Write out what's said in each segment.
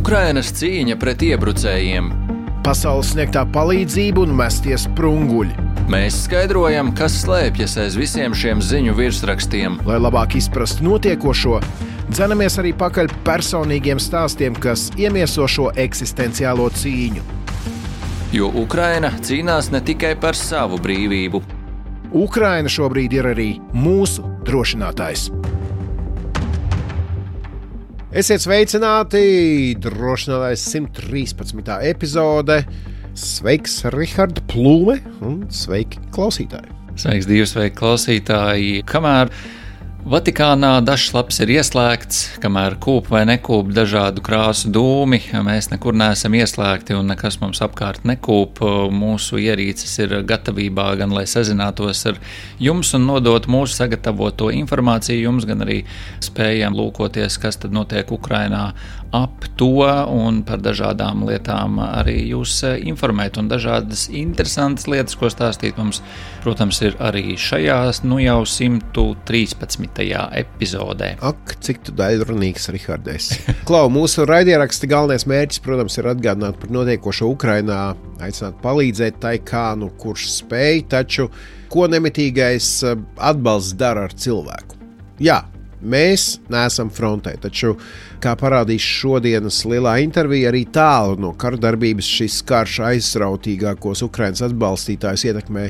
Ukrainas cīņa pret iebrucējiem. Pasaules sniegtā palīdzība un mestie sprunguļi. Mēs skaidrojam, kas slēpjas aiz visiem šiem ziņu virsrakstiem. Lai labāk izprastu notiekošo, dzenamies arī pakaļ personīgiem stāstiem, kas iemieso šo eksistenciālo cīņu. Jo Ukraina cīnās ne tikai par savu brīvību. Ukraina šobrīd ir arī mūsu drošinātājs. Esiet sveicināti, drošinātājs 113. epizode. Sveiks, Rihard Plūme, un sveiki klausītāji. Sveiks, divi, sveiki klausītāji. Kamēr Vatikānā dažs laps ir ieslēgts, kamēr kūp vai nekūp dažādu krāsu dūmi, mēs nekur neesam ieslēgti un nekas mums apkārt nekūp. Mūsu ierīces ir gatavībā gan, lai sazinātos ar jums un nodot mūsu sagatavoto informāciju jums, gan arī spējam lūkoties, kas tad notiek Ukrainā ap to un par dažādām lietām arī jūs informēt. Un dažādas interesantas lietas, ko stāstīt mums, protams, ir arī šajās jau 113. epizodē. Ak, cik tu daļrunīgs, Rihards. Klau, mūsu raidieraksta galvenais mērķis, protams, ir atgādināt par notiekošo Ukrainā, aicināt palīdzēt tai kā, kurš spēj, taču ko nemitīgais atbalsts dara ar cilvēku. Jā, mēs neesam frontē, taču, kā parādīs šodienas lielā intervija, arī tālu no kardarbības šis karš aizrautīgākos Ukrainas atbalstītājus ietekmē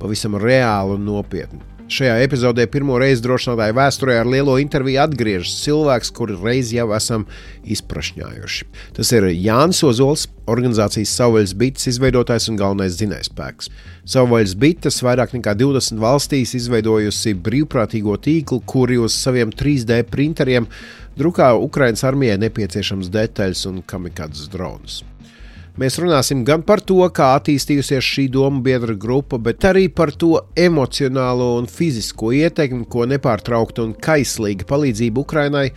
pavisam reāli un nopietni. Šajā epizodē pirmo reizi drošinātāju vēsturē ar lielo interviju atgriežas cilvēks, kuru reiz jau esam izprašņājuši. Tas ir Jānis Ozols, organizācijas Savvaļas bites izveidotājs un galvenais dzinējspēks. Savvaļas bites vairāk nekā 20 valstīs izveidojusi brīvprātīgo tīklu, kuri uz saviem 3D printeriem drukā Ukrainas armijai nepieciešams detaļas un kamikadzes dronus. Mēs runāsim gan par to, kā attīstījusies šī domu biedra grupa, bet arī par to emocionālo un fizisko ietekmi, ko nepārtraukta un kaislīga palīdzība Ukrainai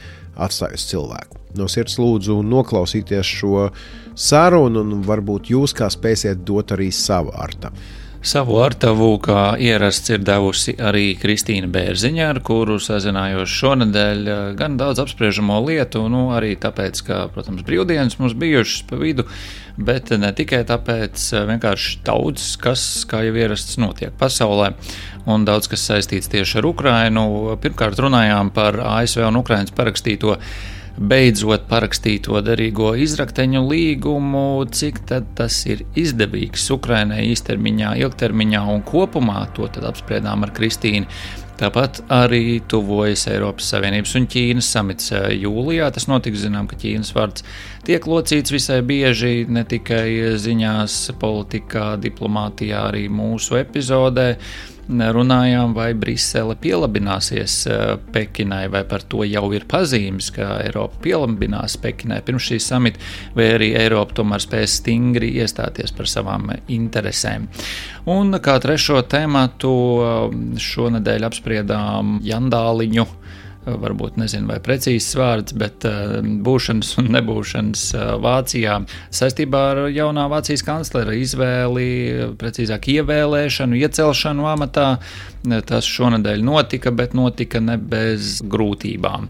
atstāj uz cilvēku. No sirds lūdzu noklausīties šo sarunu un varbūt jūs kā spēsiet dot arī savu artavu. Savu artavu, kā ierasts, ir devusi arī Kristīna Bērziņa, ar kuru sazinājos šonedēļ gan daudz apspriežamo lietu, arī tāpēc, ka, protams, brīvdienas mums bijušas pa vidu, bet ne tikai tāpēc, vienkārši daudz, kas, kā jau ierasts, notiek pasaulē, un daudz, kas saistīts tieši ar Ukrainu. Pirmkārt runājām par ASV un Ukrainas parakstīto beidzot parakstīto derīgo izrakteņu līgumu, cik tad tas ir izdevīgs Ukrainai īstermiņā, ilgtermiņā un kopumā, to tad apspriedām ar Kristīnu. Tāpat arī tuvojas Eiropas Savienības un Ķīnas samits jūlijā. Tas notiks, zinām, ka Ķīnas vārds tiek locīts visai bieži, ne tikai ziņās, politikā, diplomātijā, arī mūsu epizodē. Runājām, vai Brisele pielabināsies Pekinai, vai par to jau ir pazīmes, ka Eiropa pielabinās Pekinai pirms šī samita, vai arī Eiropa tomēr spēs stingri iestāties par savām interesēm. Un kā trešo tematu šonedēļ apspriedām jandāliņu, varbūt nezinu, vai precīzs vārds, bet būšanas un nebūšanas Vācijā saistībā ar jaunā Vācijas kanclera izvēli, precīzāk ievēlēšanu, iecelšanu amatā. Tas šonedēļ notika, bet notika ne bez grūtībām.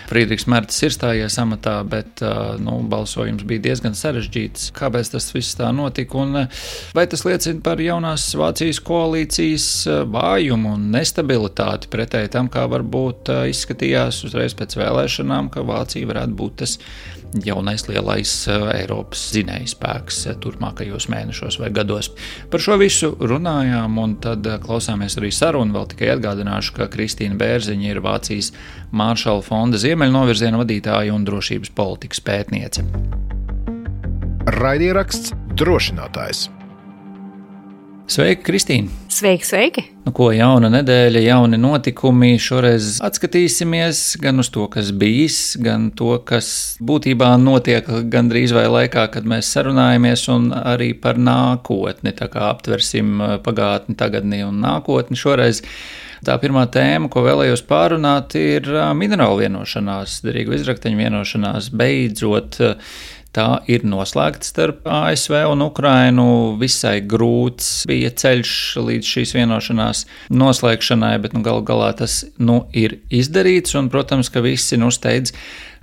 Friedrichs Merts ir stājies amatā, bet balsojums bija diezgan sarežģīts. Kāpēc tas viss tā notika un vai tas liecina par jaunās Vācijas koalīcijas vājumu un nestabilitāti pretēji tam, kā varbūt izskatījās uzreiz pēc vēlēšanām, ka Vācija varētu būt tas jaunais lielais Eiropas dzinējspēks turpmākajos mēnešos vai gados. Par šo visu runājām un tad klausāmies arī sarunu. Vēl tikai atgādināšu, ka Kristīna Bērziņa ir Vācijas Maršala fonda Ziemeļnovirziena vadītāja un drošības politikas pētniece. Raidieraksts drošinātājs. Sveiki, Kristīna! Sveiki! Ko jauna nedēļa, jauni notikumi. Šoreiz atskatīsimies gan uz to, kas bijis, gan to, kas būtībā notiek gandrīz vai laikā, kad mēs sarunājamies, un arī par nākotni. Tā kā aptversim pagātni, tagadni un nākotni. Šoreiz tā pirmā tēma, ko vēlējos pārunāt, ir minerālu vienošanās, derīgu izrakteņu vienošanās beidzot tā ir noslēgta starp ASV un Ukrainu. Visai grūts bija ceļš līdz šīs vienošanās noslēgšanai, bet galu galā tas ir izdarīts. Un, protams, ka visi steidz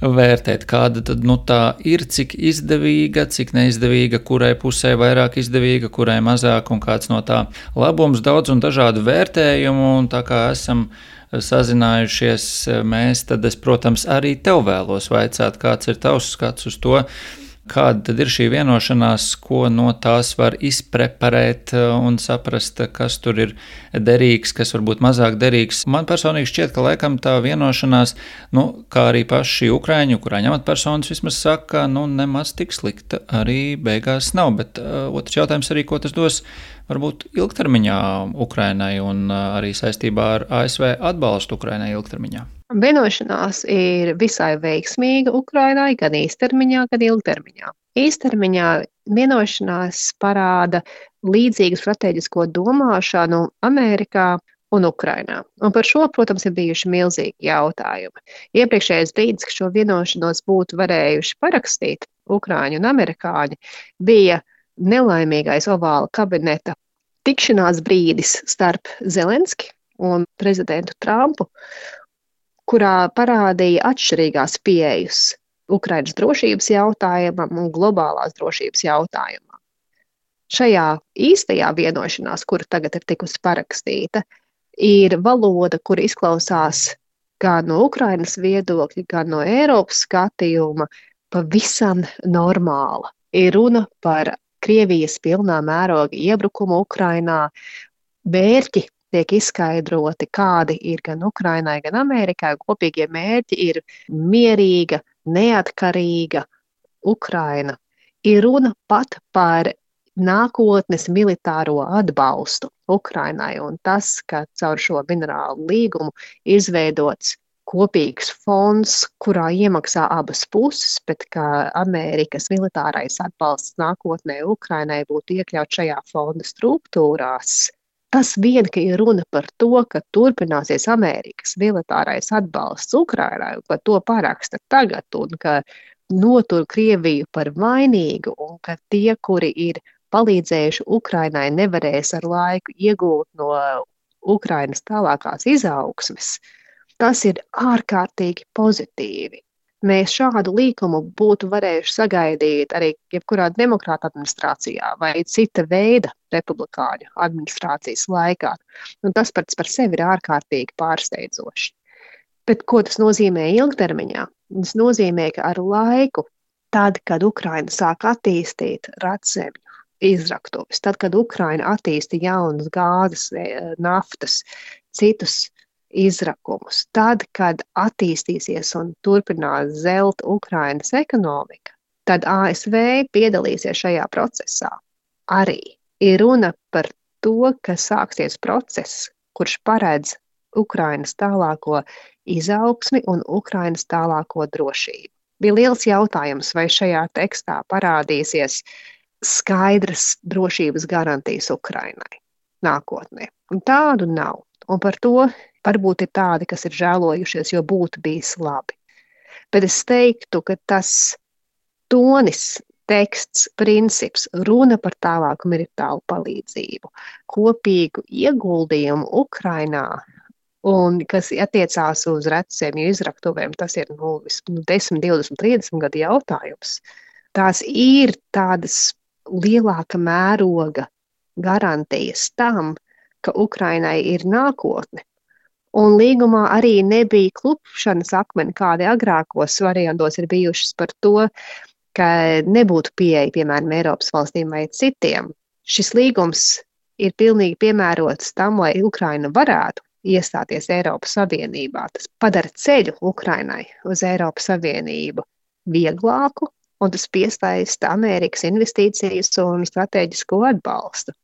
vērtēt, kāda tad tā ir, cik izdevīga, cik neizdevīga, kurai pusē vairāk izdevīga, kurai mazāk un kāds no tā labums, daudz un dažādu vērtējumu. Un tā kā esam sazinājušies mēs, tad es, protams, arī tev vēlos vaicāt, kāds ir tavs skats uz to, kāda tad ir šī vienošanās, ko no tās var izpreparēt un saprast, kas tur ir derīgs, kas varbūt mazāk derīgs. Man personīgi šķiet, ka laikam tā vienošanās, kā arī paši ukrāņu amatpersonas vismaz saka, nemaz tik slikta arī beigās nav. Bet otrs jautājums arī, ko tas dos varbūt ilgtermiņā Ukrainai un arī saistībā ar ASV atbalstu Ukrainai ilgtermiņā. Vienošanās ir visai veiksmīga Ukrainai gan īstermiņā, gan ilgtermiņā. Īstermiņā vienošanās parāda līdzīgu strateģisko domāšanu Amerikā un Ukrainā. Un par šo, protams, ir bijuši milzīgi jautājumi. Iepriekšējais brīdis, ka šo vienošanos būtu varējuši parakstīt Ukraiņi un amerikāņi, bija nelaimīgais ovāla kabineta tikšanās brīdis starp Zelenski un prezidentu Trumpu, kurā parādīja atšķirīgās pieejas Ukrainas drošības jautājumam un globālās drošības jautājumam. Šajā īstajā vienošanās, kura tagad ir tikusi parakstīta, ir valoda, kur izklausās gan no Ukrainas viedokļa, gan no Eiropas skatījuma pavisam normāla. Ir runa par Krievijas pilnā mēroga iebrukumu Ukrainā, mērķi tiek izskaidroti, kādi ir gan Ukrainai, gan Amerikai. Kopīgie mērķi ir mierīga, neatkarīga Ukraina. Ir runa pat par nākotnes militāro atbalstu Ukrainai, un tas, ka caur šo minerālu līgumu izveidots kopīgs fonds, kurā iemaksā abas puses, bet ka Amerikas militārais atbalsts nākotnē Ukrainai būtu iekļauts šajā fonda struktūrās. Tas vien, ka ir runa par to, ka turpināsies Amerikas militārais atbalsts Ukrainai, un ka to paraksta tagad, un ka notur Krieviju par vainīgu, un ka tie, kuri ir palīdzējuši Ukrainai, nevarēs ar laiku iegūt no Ukrainas tālākās izaugsmes, tas ir ārkārtīgi pozitīvi. Mēs šādu līkumu būtu varējuši sagaidīt arī jebkurā demokrāta administrācijā vai cita veida republikāņu administrācijas laikā. Un tas pats par sevi ir ārkārtīgi pārsteidzoši. Bet ko tas nozīmē ilgtermiņā? Tas nozīmē, ka ar laiku, tad, kad Ukraina sāk attīstīt radzemju izraktuves, tad, kad Ukraina attīsta jaunas gāzes, naftas, citus izrakumus, tad, kad attīstīsies un turpinās zelt Ukrainas ekonomika, tad ASV piedalīsies šajā procesā. Arī ir runa par to, ka sāksies process, kurš paredz Ukrainas tālāko izaugsmi un Ukrainas tālāko drošību. Bija liels jautājums, vai šajā tekstā parādīsies skaidras drošības garantijas Ukrainai nākotnē. Un tādu nav. Un par to varbūt ir tādi, kas ir žēlojušies, jo būtu bijis labi. Bet es teiktu, ka tas tonis, teksts, princips, runa par tālāku militāru palīdzību, kopīgu ieguldījumu Ukrainā, un kas attiecās uz redzemju izraktuvēm, tas ir 10, 20, 30 gadu jautājums. Tās ir tādas lielāka mēroga garantijas tam, ka Ukrainai ir nākotne. Un līgumā arī nebija klupšanas akmeni, kādi agrākos variantos ir bijušas par to, ka nebūtu pieeja, piemēram, Eiropas valstīm vai citiem. Šis līgums ir pilnīgi piemērots tam, lai Ukraina varētu iestāties Eiropas Savienībā. Tas padara ceļu Ukrainai uz Eiropas Savienību vieglāku, un tas piesaista Amerikas investīcijas un strateģisko atbalstu.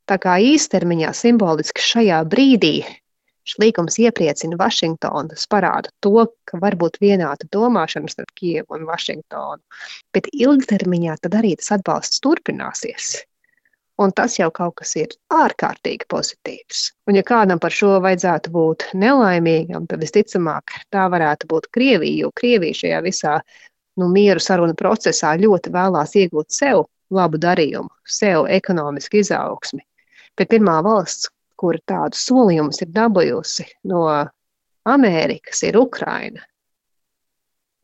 Tā kā īstermiņā simboliski šajā brīdī šis līgums iepriecina Vašingtonu, tas parāda to, ka var būt vienāda domāšana starp Kijevu un Vašingtonu, bet ilgtermiņā tad arī tas atbalsts turpināsies. Un tas jau kaut kas ir ārkārtīgi pozitīvs. Un ja kādam par šo vajadzētu būt nelaimīgam, tad visticamāk tā varētu būt Krievija, jo Krievija šajā visā mieru sarunu procesā ļoti vēlās iegūt sev labu darījumu, sev ekonomisku izaugsmi. Bet pirmā valsts, kura tādu solījumus ir dabūjusi no Amerikas, ir Ukraina.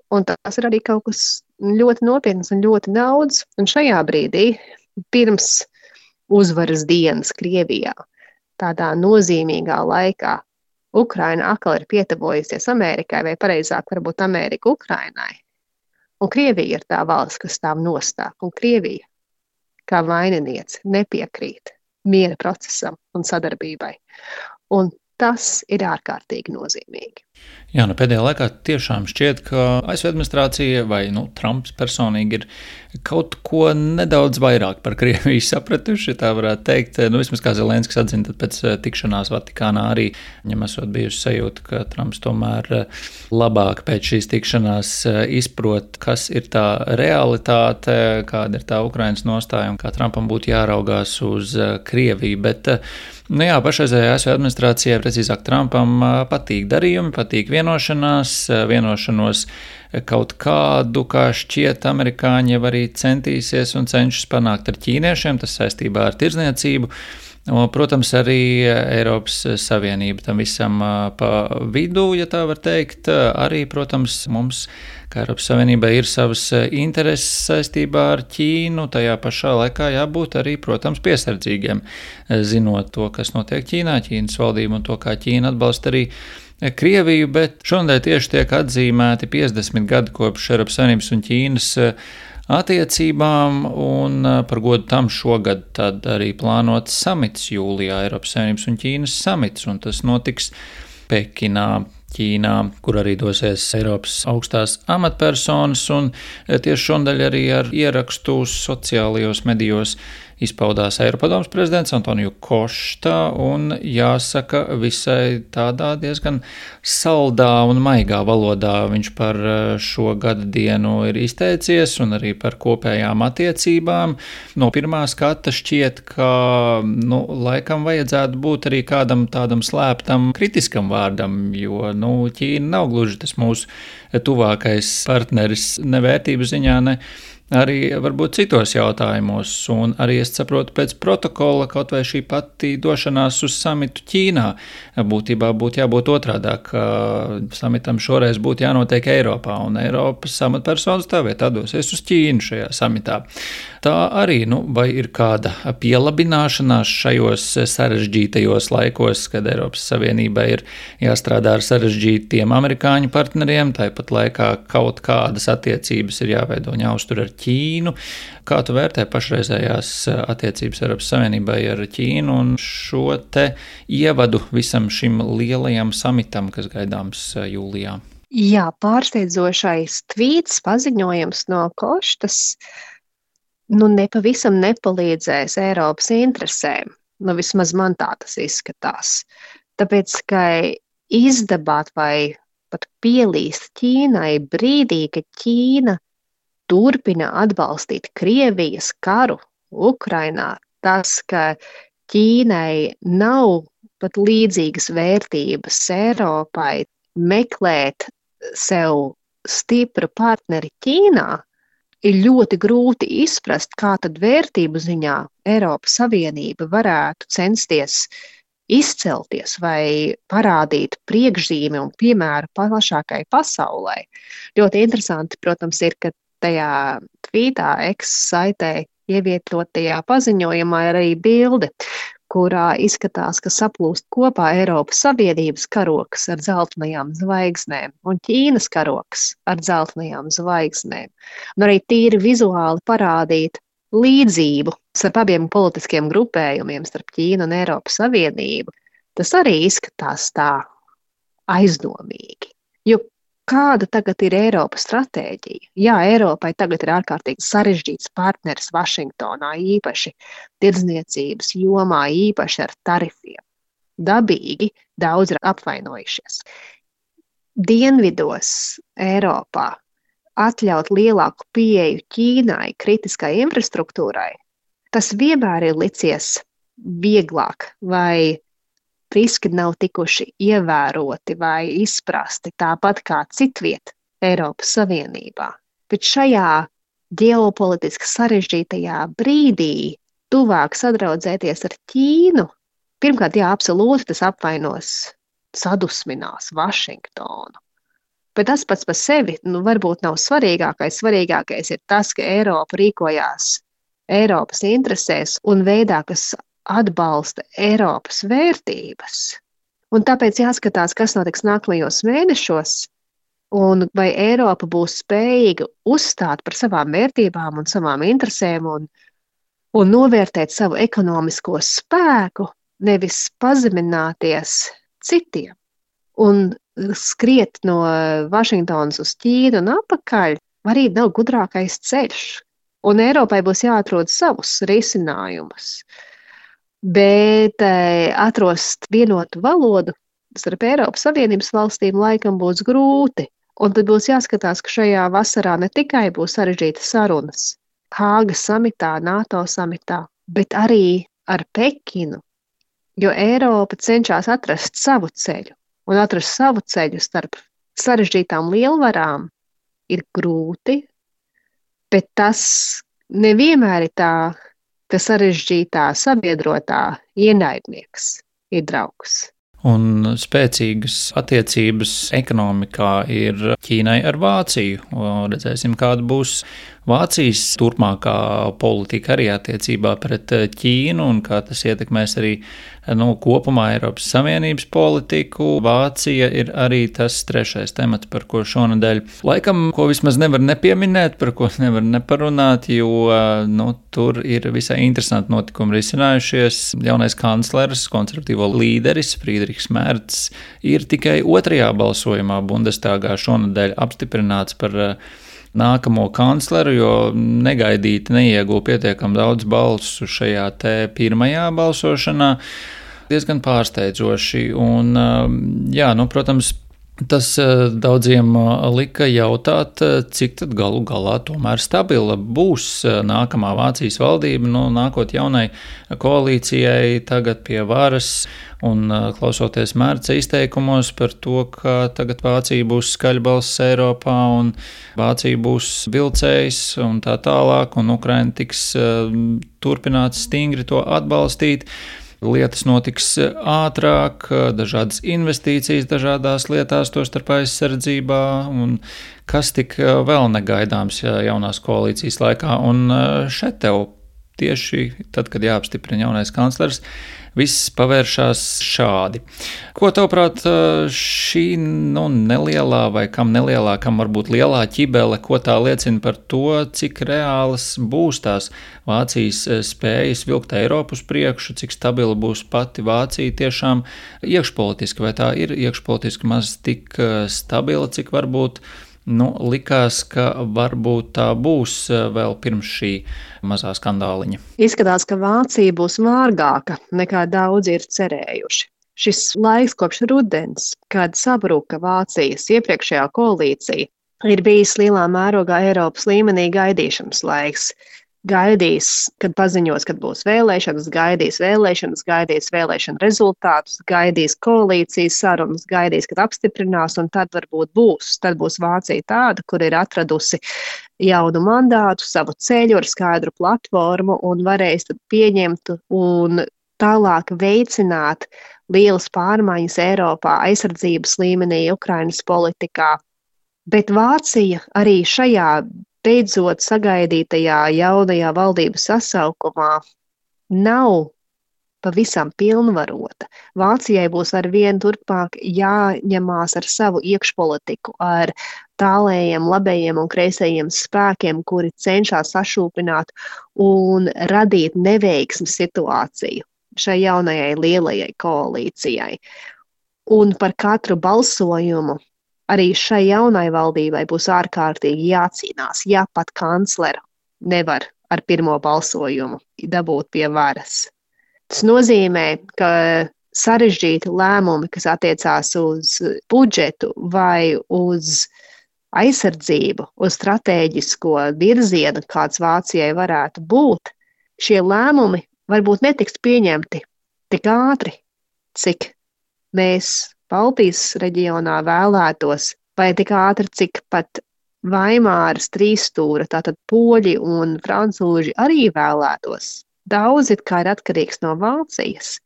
Un tas ir arī kaut kas ļoti nopietns un ļoti daudz. Un šajā brīdī, pirms uzvaras dienas Krievijā, tādā nozīmīgā laikā, Ukraina atkal ir pietuvojusies Amerikai, vai pareizāk varbūt Amerika Ukrainai. Un Krievija ir tā valsts, kas stāv nostāk. Un Krievija, kā vaininiece, nepiekrīt miera procesam un sadarbībai. Un tas ir ārkārtīgi nozīmīgi. Jā, pēdējā laikā tiešām šķiet, ka ASV administrācija vai Trumps personīgi ir kaut ko nedaudz vairāk par Krieviju sapratuši, tā varētu teikt. Vismaz kā Zelenskis atzina, tad pēc tikšanās Vatikānā arī viņam esot bijusi sajūta, ka Trumps tomēr labāk pēc šīs tikšanās izprot, kas ir tā realitāte, kāda ir tā Ukrainas nostāja un kā Trumpam būtu jāraugās uz Krieviju. Bet pašreizējā ASV administrācijai, precīzāk Trumpam, patīk darījumi, patīk vienošanos kaut kādu, kā šķiet, amerikāņi jau arī centīsies un cenšas panākt ar ķīniešiem, tas saistībā ar tirdzniecību. Protams, arī Eiropas Savienība tam visam pa vidu, ja tā var teikt. Arī, protams, mums, kā Eiropas Savienībai, ir savas intereses saistībā ar Ķīnu. Tajā pašā laikā jābūt arī, protams, piesardzīgiem, zinot to, kas notiek Ķīnā, Ķīnas valdību un to, kā Ķīna atbalsta arī Krieviju, bet šonadēļ tieši tiek atzīmēti 50 gadi kopš Eiropas Savienības un Ķīnas attiecībām, un par godu tam šogad tad arī plānots samits jūlijā, Eiropas Savienības un Ķīnas samits, un tas notiks Pekinā, Ķīnā, kur arī dosies Eiropas augstās amatpersonas, un tieši šonadēļ arī ar ierakstu sociālajos medijos izpaudās Eiropadomes prezidents Antoniju Košta, un jāsaka visai tādā diezgan saldā un maigā valodā viņš par šo gada dienu ir izteicies un arī par kopējām attiecībām. No pirmā skata šķiet, ka laikam vajadzētu būt arī kādam tādam slēptam kritiskam vārdam, jo Ķīna nav gluži tas mūsu tuvākais partneris ne vērtību ziņā, ne arī varbūt citos jautājumos, un arī es saprotu pēc protokola, kaut vai šī pati došanās uz samitu Ķīnā būtībā būtu jābūt otrādāk, ka samitam šoreiz būtu jānotiek Eiropā, un Eiropas amatpersonas tā vietā dosies uz Ķīnu šajā samitā. Tā arī, vai ir kāda pielabināšanās šajos sarežģītajos laikos, kad Eiropas Savienībai ir jāstrādā ar sarežģītiem amerikāņu partneriem, tāpat laikā kaut kādas attiecības ir jāveido un jāuztur ar Ķīnu. Kā tu vērtē pašreizējās attiecības Eiropas Savienībai ar Ķīnu un šo te ievadu visam šim lielajam samitam, kas gaidāms jūlijā? Jā, pārsteidzošais tvīts, paziņojums no Koštas nepavisam nepalīdzēs Eiropas interesēm. Vismaz man tā tas izskatās. Tāpēc, ka izdabāt vai pat pielīst Ķīnai brīdī, kad Ķīna turpina atbalstīt Krievijas karu Ukrainā, tas, ka Ķīnai nav pat līdzīgas vērtības Eiropai meklēt sev stipru partneri Ķīnā, ir ļoti grūti izprast, kā tad vērtību ziņā Eiropas Savienība varētu censties izcelties vai parādīt priekšzīmi un piemēru plašākai pasaulē. Ļoti interesanti, protams, ir, ka tajā tvītā X-saitē ievietotajā paziņojumā ir arī bilde, kurā izskatās, ka saplūst kopā Eiropas Savienības karoks ar dzeltenajām zvaigznēm un Ķīnas karoks ar dzeltenajām zvaigznēm. Un arī tīri vizuāli parādīt līdzību starp abiem politiskiem grupējumiem, starp Ķīnu un Eiropas Savienību. Tas arī izskatās tā aizdomīgi. Jo kāda tagad ir Eiropas stratēģija? Jā, Eiropai tagad ir ārkārtīgi sarežģīts partneris Vašingtonā, īpaši tirdzniecības jomā, īpaši ar tarifiem. Dabīgi daudz ir apvainojušies. Dienvidos Eiropā atļaut lielāku pieeju Ķīnai, kritiskai infrastruktūrai, tas vienmēr ir licies vieglāk vai riski nav tikuši ievēroti vai izprasti tāpat kā citviet Eiropas Savienībā. Bet šajā ģeopolitiski sarežģītajā brīdī tuvāk sadraudzēties ar Ķīnu, pirmkārt, jā, absolūti tas apvainos, sadusminās Vašingtonu. Bet tas pats par sevi, varbūt nav svarīgākais. Svarīgākais ir tas, ka Eiropa rīkojās Eiropas interesēs un veidā, kas atbalsta Eiropas vērtības. Un tāpēc jāskatās, kas notiks nākamajos mēnešos, un vai Eiropa būs spējīga uzstāt par savām vērtībām un savām interesēm un novērtēt savu ekonomisko spēku, nevis pazemināties citiem. Un skriet no Vašingtonas uz Ķīnu un atpakaļ arī nav gudrākais ceļš. Un Eiropai būs jāatrod savus risinājumus. Bet atrast vienotu valodu starp Eiropas Savienības valstīm laikam būs grūti. Un tad būs jāskatās, ka šajā vasarā ne tikai būs sarežģītas sarunas Hāgas samitā, NATO samitā, bet arī ar Pekinu, jo Eiropa cenšas atrast savu ceļu. Un atrast savu ceļu starp sarežģītām lielvarām ir grūti, bet tas nevienmēr ir tā, ka sarežģītā sabiedrotā ienaidnieks ir draugs. Un spēcīgas attiecības ekonomikā ir Ķīnai ar Vāciju. Redzēsim, kāda būs Vācijas turpmākā politika arī attiecībā pret Ķīnu un kā tas ietekmēs arī kopumā Eiropas Savienības politiku. Vācija ir arī tas trešais temats, par ko šonadēļ laikam, ko vismaz nevar nepieminēt, par ko nevar neparunāt, jo tur ir visai interesanti notikumi risinājušies. Jaunais kanclers, konservatīvo līderis Friedrichs Merts ir tikai otrajā balsojumā Bundestagā šonadēļ apstiprināts par nākamo kancleru, jo negaidīti neieguva pietiekami daudz balsu šajā te pirmajā balsošanā. Diezgan pārsteidzoši. Un, protams, tas daudziem lika jautāt, cik tad galu galā tomēr stabila būs nākamā Vācijas valdība, nākot jaunai koalīcijai tagad pie varas un klausoties Mērca izteikumos par to, ka tagad Vācija būs skaļbalss Eiropā un Vācija būs vilcējs un tā tālāk, un Ukraina tiks turpināts stingri to atbalstīt. Lietas notiks ātrāk, dažādas investīcijas dažādās lietās, tostarp aizsardzībā, un kas tik vēl negaidāms jaunās koalīcijas laikā. Un šeit tev tieši tad, kad jāapstiprina jaunais kanclers, viss pavēršās šādi. Ko tavuprāt šī nelielā vai kam nelielā, kam varbūt lielā ķibele, ko tā liecina par to, cik reālas būs tās Vācijas spējas vilkt Eiropu uz priekšu, cik stabila būs pati Vācija tiešām iekšpolitiski, vai tā ir iekšpolitiski maz tik stabila, cik varbūt likās, ka varbūt tā būs vēl pirms šī mazā skandāliņa. Izskatās, ka Vācija būs vārgāka nekā daudzi ir cerējuši. Šis laiks kopš rudens, kad sabruka Vācijas iepriekšējā koalīcija, ir bijis lielā mērogā Eiropas līmenī gaidīšanas laiks. Gaidīs, kad paziņos, kad būs vēlēšanas, gaidīs vēlēšanu rezultātus, gaidīs koalīcijas sarunas, gaidīs, kad apstiprinās, un tad varbūt būs. Tad būs Vācija tāda, kur ir atradusi jaunu mandātu, savu ceļu ar skaidru platformu un varēs tad pieņemt un tālāk veicināt lielas pārmaiņas Eiropā, aizsardzības līmenī, Ukrainas politikā. Bet Vācija arī šajā beidzot sagaidītajā jaunajā valdības sasaukumā nav pavisam pilnvarota. Vācijai būs arvien turpmāk jāņemās ar savu iekšpolitiku, ar tālējiem, labējiem un kreisējiem spēkiem, kuri cenšas sašūpināt un radīt neveiksmes situāciju šai jaunajai lielajai koalīcijai. Un par katru balsojumu arī šai jaunai valdībai būs ārkārtīgi jācīnās, ja pat kancleru nevar ar pirmo balsojumu dabūt pie varas. Tas nozīmē, ka sarežģīti lēmumi, kas attiecās uz budžetu vai uz aizsardzību, uz stratēģisko virzienu, kāds Vācijai varētu būt, šie lēmumi varbūt netiks pieņemti tik ātri, cik mēs Baltijas reģionā vēlētos, vai tik ātri, cik pat Vaimāras trīsstūra, tātad poļi un francūži arī vēlētos. Daudz it kā ir atkarīgs no Vācijas,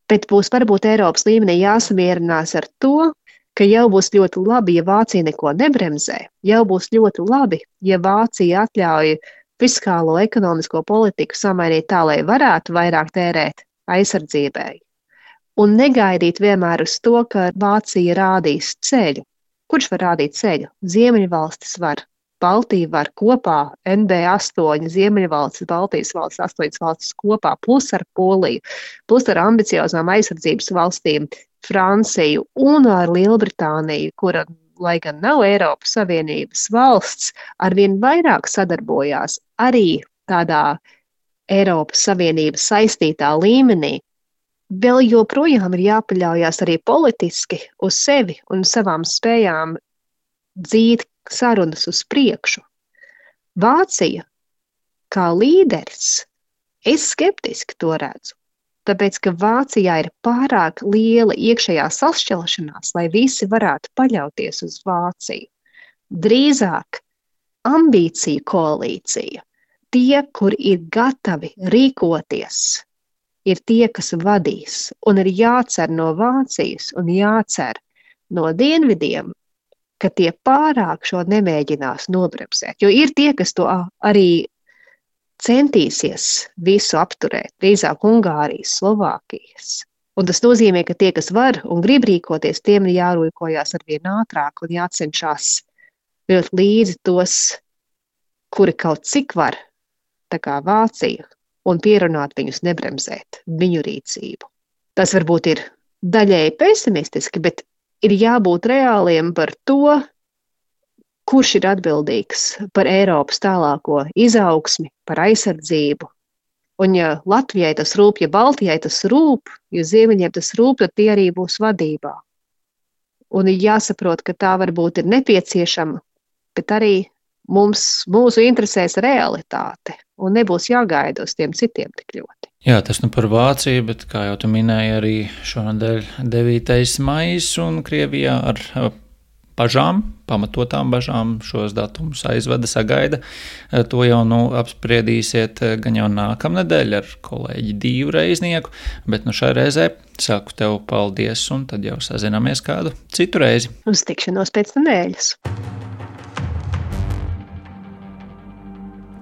bet būs varbūt Eiropas līmenī jāsamierinās ar to, ka jau būs ļoti labi, ja Vācija neko nebremzē, jau būs ļoti labi, ja Vācija atļauj fiskālo ekonomisko politiku samainīt tā, lai varētu vairāk tērēt aizsardzībai. Un negaidīt vienmēr uz to, ka Vācija rādīs ceļu. Kurš var rādīt ceļu? Ziemeļvalstis var, Baltija var kopā, NB8, Ziemeļvalstis, Baltijas valstis, 8 valstis kopā, plus ar Poliju, plus ar ambiciozām aizsardzības valstīm, Franciju un ar Lielbritāniju, kura, lai gan nav Eiropas Savienības valsts, arvien vairāk sadarbojās arī tādā Eiropas Savienības saistītā līmenī. Vēl joprojām ir jāpaļaujās arī politiski uz sevi un savām spējām dzīt sarunas uz priekšu. Vācija, kā līderis, es skeptiski to redzu, tāpēc, ka Vācijā ir pārāk liela iekšējā sašķelšanās, lai visi varētu paļauties uz Vāciju. Drīzāk ambīciju koalīcija, tie, kur ir gatavi rīkoties, ir tie, kas vadīs, un ir jācer no Vācijas un jācer no dienvidiem, ka tie pārāk šo nemēģinās nobremzēt. Jo ir tie, kas to arī centīsies visu apturēt, drīzāk Ungārijas, Slovākijas. Un tas nozīmē, ka tie, kas var un grib rīkoties, tiem ir jārīkojās arvien ātrāk un jācenšas vilkt līdzi tos, kuri kaut cik var, tā kā Vācija, un pierunāt viņus nebremzēt viņu rīcību. Tas varbūt ir daļēji pesimistiski, bet ir jābūt reāliem par to, kurš ir atbildīgs par Eiropas tālāko izaugsmi, par aizsardzību. Un ja Latvijai tas rūp, ja Baltijai tas rūp, ja Ziemeļiem tas rūp, tad tie arī būs vadībā. Un ir jāsaprot, ka tā varbūt ir nepieciešama, bet arī mūsu interesēs realitāte, un nebūs jāgaida uz tiem citiem tik ļoti. Jā, tas par Vāciju, bet kā jau tu minēji, arī šonadēļ 9. maijs un Krievijā ar bažām, pamatotām bažām šos datumus aizvada, sagaida. To jau apspriedīsiet gan jau nākamnedēļ ar kolēģi Dīvu Reiznieku, bet šai reizē saku tev paldies un tad jau sazināmies kādu citu reizi. Uz tikšanos pēc nedēļas.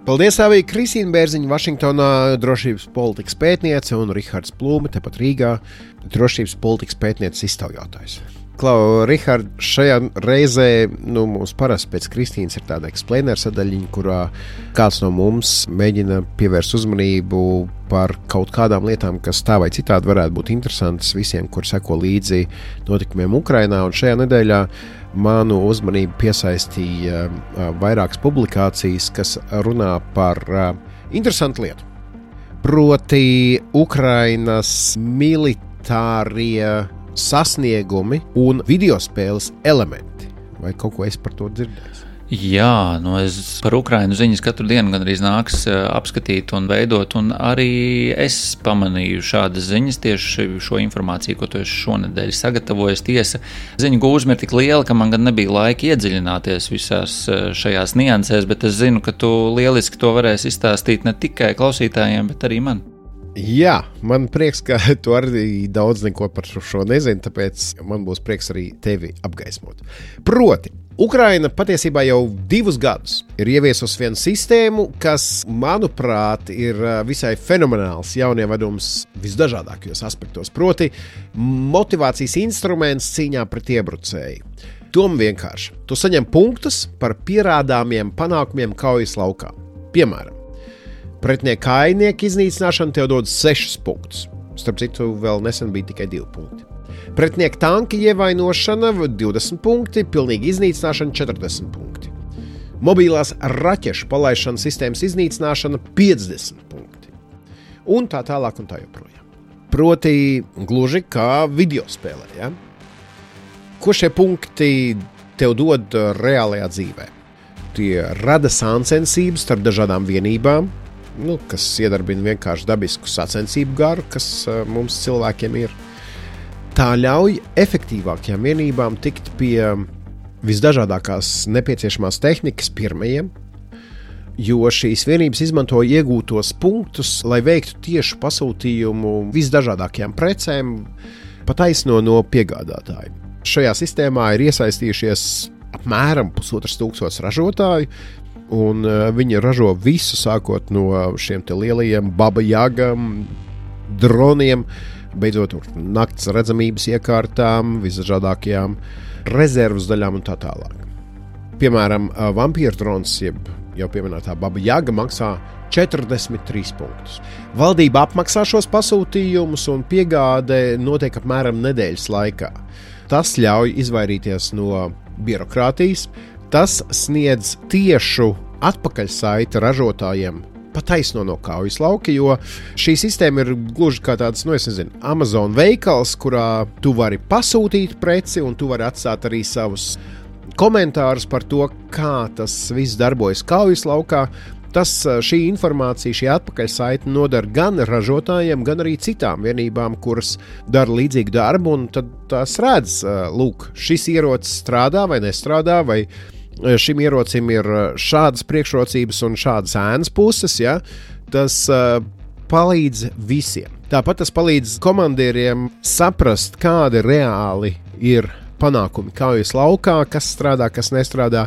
Paldies arī Kristīna Bērziņa, Vašingtonā drošības politikas pētniece, un Rihards Plūme, tepat Rīgā, drošības politikas pētnieces iztaujātājs. Klau, Rihard, šajā reizē mums parasti pēc Kristīnas ir tāda eksplēnera sadaļiņa, kurā kāds no mums mēģina pievērst uzmanību par kaut kādām lietām, kas tā vai citādi varētu būt interesantas visiem, kur seko līdzi notikumiem Ukrainā, un šajā nedēļā manu uzmanību piesaistīja vairākas publikācijas, kas runā par interesantu lietu. Proti Ukrainas militārie sasniegumi un videospēles elementi. Vai kaut ko es par to dzirdēju? Jā, es par Ukrainu ziņas katru dienu gandrīz nāks apskatīt un veidot, un arī es pamanīju šādas ziņas, tieši šo informāciju, ko tu esi šonedēļ sagatavojis. Tiesa, ziņu gūžma ir tik liela, ka man gan nebija laika iedziļināties visās šajās niansēs, bet es zinu, ka tu lieliski to varēsi izstāstīt ne tikai klausītājiem, bet arī man. Jā, man prieks, ka tu arī daudz neko par šo nezini, tāpēc man būs prieks arī tevi apgaismot. Proti, Ukraina patiesībā jau 2 gadus ir ieviesusi vienu sistēmu, kas, manuprāt, ir visai fenomenāls jaunievedums visdažādākajos aspektos. Proti, motivācijas instruments cīņā pret iebrucēju. Doma vienkārši. Tu saņem punktus par pierādāmiem panākumiem kaujas laukā. Piemēram, pretinieka kājnieku iznīcināšana tev dod 6 punktus. Starp citu, vēl nesen bija tikai 2 punkti. Pretinieka tanka ievainošana 20 punkti, pilnīga iznīcināšana 40 punkti. Mobilās raķešu palaišanas sistēmas iznīcināšana 50 punkti. Un tā tālāk un tā joprojām. Proti, gluži kā videospēlē. Ja? Ko šie punkti tev dod reālajā dzīvē? Tie rada sāncensības starp dažādām vienībām, kas iedarbina vienkārši dabisku sacensību garu, kas mums cilvēkiem ir. Tā ļauj efektīvākajām vienībām tikt pie visdažādākās nepieciešamās tehnikas pirmajiem, jo šīs vienības izmantoja iegūtos punktus, lai veiktu tiešu pasūtījumu visdažādākajām precēm, pat taisno no piegādātājiem. Šajā sistēmā ir iesaistījušies apmēram 1500 ražotāju, un viņi ražo visu, sākot no šiem te lielajiem Baba Jagam, droniem, beidzot nakts redzamības iekārtām, visdažādākajām rezervas daļām un tā tālāk. Piemēram, vampīra drons, jeb jau pieminētā Baba Jaga, maksā 43 punktus. Valdība apmaksā šos pasūtījumus, un piegāde notiek apmēram nedēļas laikā. Tas ļauj izvairīties no birokrātijas, tas sniedz tiešu atpakaļsaiti ražotājiem pa taisno no kaujas lauka, jo šī sistēma ir gluži kā tāds, Amazon veikals, kurā tu vari pasūtīt preci un tu vari atstāt arī savus komentārus par to, kā tas viss darbojas kaujas laukā. Šī informācija, šī atpakaļsaite nodara gan ražotājiem, gan arī citām vienībām, kuras dara līdzīgu darbu, un tad tās redz, lūk, šis ierocis strādā vai nestrādā, vai šim ierocim ir šādas priekšrocības un šādas ēnas puses, ja? Tas palīdz visiem. Tāpat tas palīdz komandieriem saprast, kādi reāli ir panākumi kaujas laukā, kas strādā, kas nestrādā,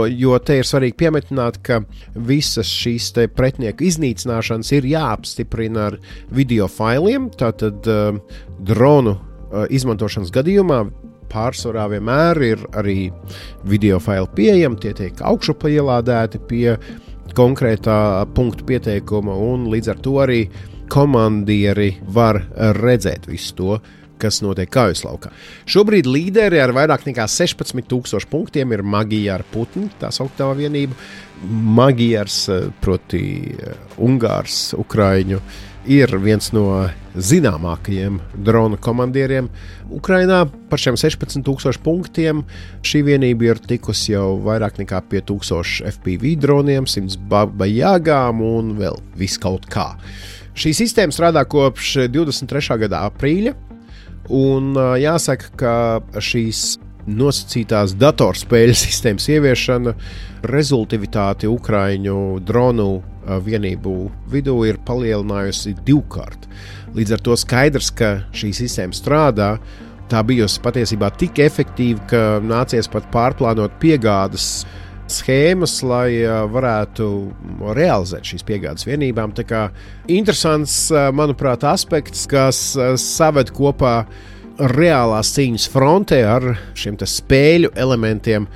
jo te ir svarīgi piemetināt, ka visas šīs te pretinieku iznīcināšanas ir jāapstiprina ar video failiem, tātad dronu izmantošanas gadījumā pārsvarā vienmēr ir arī video faili pieejami, tie tiek augšup ielādēti pie konkrētā punktu pieteikuma, un līdz ar to arī komandieri var redzēt visu to, kas notiek kaujas laukā. Šobrīd līderi ar vairāk nekā 16,000 punktiem ir Magyar Putni, tā sauktā vienība. Magyars, proti Ungārs, Ukraiņu, ir viens no zināmākajiem drona komandieriem Ukrainā. Par šiem 16,000 punktiem šī vienība ir tikusi jau vairāk nekā pie 1000 FPV droniem, 100 Baba Jagām un vēl viss kaut kā. Šī sistēma strādā kopš 23. gada aprīļa, un jāsaka, ka šīs nosacītās datorspēļu sistēmas ieviešana rezultātivitāti Ukraiņu dronu vienību vidū ir palielinājusi 2-kārt. Līdz ar to skaidrs, ka šī sistēma strādā. Tā bijusi patiesībā tik efektīva, ka nācies pat pārplānot piegādes schēmas, lai varētu realizēt šīs piegādes vienībām. Tā kā interesants, manuprāt, aspekts, kas saved kopā reālās cīņas frontē ar šiem te spēļu elementiem,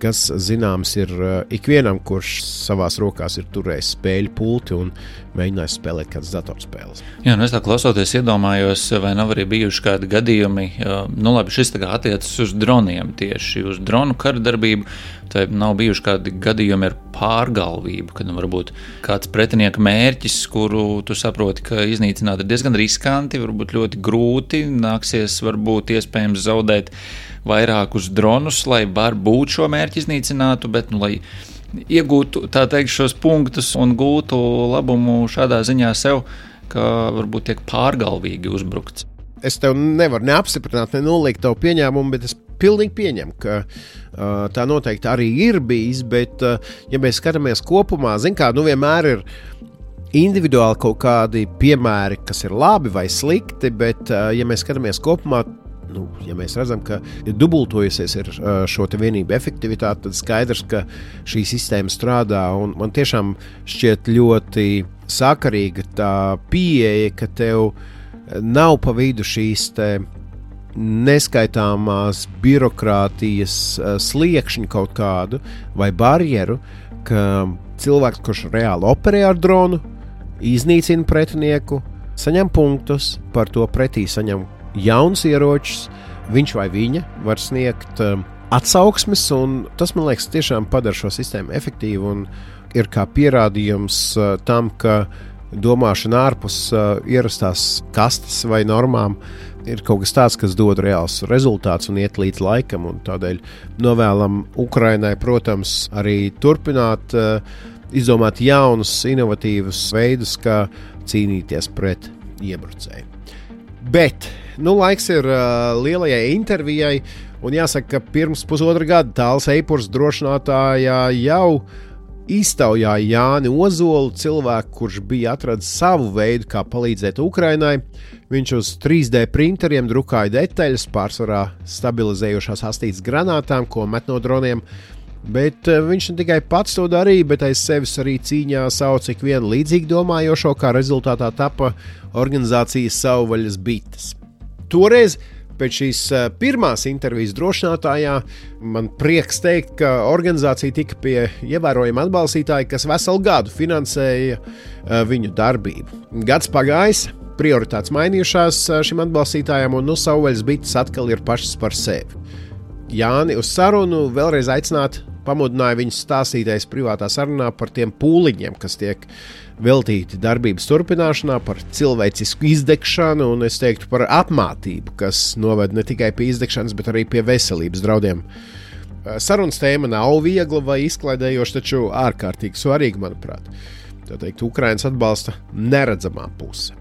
kas zināms ir ikvienam, kurš savās rokās ir turējis spēļu pulti un mēģinājis spēlēt kādas datorspēles. Jā, es tā klausoties iedomājos, vai nav arī bijuši kādi gadījumi, labi, šis tā kā attiecas uz droniem tieši, uz dronu karadarbību, tai nav bijuši kādi gadījumi ar pārgalvību, kad varbūt kāds pretinieka mērķis, kuru tu saproti, ka iznīcināt ir diezgan riskanti, varbūt ļoti grūti, nāksies varbūt iespējams zaudēt vairākus dronus, lai varbūt šo mērķi iznīcinātu, bet, lai iegūtu, tā teikt, šos punktus un gūtu labumu šādā ziņā sev, ka varbūt tiek pārgalvīgi uzbrukts. Es tev nevaru neapstiprināt, ne noliegt tavu pieņēmumu, bet es pilnīgi pieņemu, ka tā noteikti arī ir bijis, bet, ja mēs skatāmies kopumā, vienmēr ir individuāli kaut kādi piemēri, kas ir labi vai slikti, bet, ja mēs skatāmies kopumā, ja mēs redzam, ka ir dubultojusies ir šo te vienību efektivitāte, tad skaidrs, ka šī sistēma strādā, un man tiešām šķiet ļoti sakarīga tā pieeja, ka tev nav pa vidu šīs te neskaitāmās birokrātijas sliekšņu kaut kādu vai barjeru, ka cilvēks, kurš reāli operē ar dronu, iznīcina pretinieku, saņem punktus, par to pretī saņem jauns ieročus, viņš vai viņa var sniegt atsauksmes, un tas, man liekas, tiešām padara šo sistēmu efektīvu un ir kā pierādījums tam, ka domāšana ārpus ierastās kastes vai normām ir kaut kas tāds, kas dod reāls rezultāts un iet līdz laikam, un tādēļ novēlam Ukrainai, protams, arī turpināt izdomāt jaunus, inovatīvus veidus, kā cīnīties pret iebrucēju. Bet laiks ir lielajai intervijai, Un jāsaka, ka pirms pusotra gada Tāls Eipurs drošinātājā jau iztaujāja Jāni Ozolu, cilvēku, kurš bija atradis savu veidu, kā palīdzēt Ukrainai. Viņš uz 3D printeriem drukāja detaļas, pārsvarā stabilizējošās astītas granātām, ko met no droniem. Bet viņš ne tikai pats to darīja, bet aiz sevis arī cīņā sauca ikvienu līdzīgi domājošo, kā rezultātā tapa organizācijas Savvaļas bites. Toreiz, pēc šīs pirmās intervijas drošinātājā, man prieks teikt, ka organizācija tika pie ievērojama atbalstītāja, kas veselu gadu finansēja viņu darbību. Gads pagājis, prioritātes mainījušās šim atbalstītājam, un Savvaļas bites atkal ir pašas par sevi. Jāni uz sarunu vēlreiz aicināt, pamudināja viņus stāstīties privātā sarunā par tiem pūliņiem, kas tiek veltīti darbības turpināšanā, par cilvēcisku izdegšanu un, es teiktu, par apmātību, kas noved ne tikai pie izdegšanas, bet arī pie veselības draudiem. Sarunas tēma nav viegla vai izklaidējoša, taču ārkārtīgi svarīga, manuprāt. Tā teikt, Ukrainas atbalsta neredzamā puse.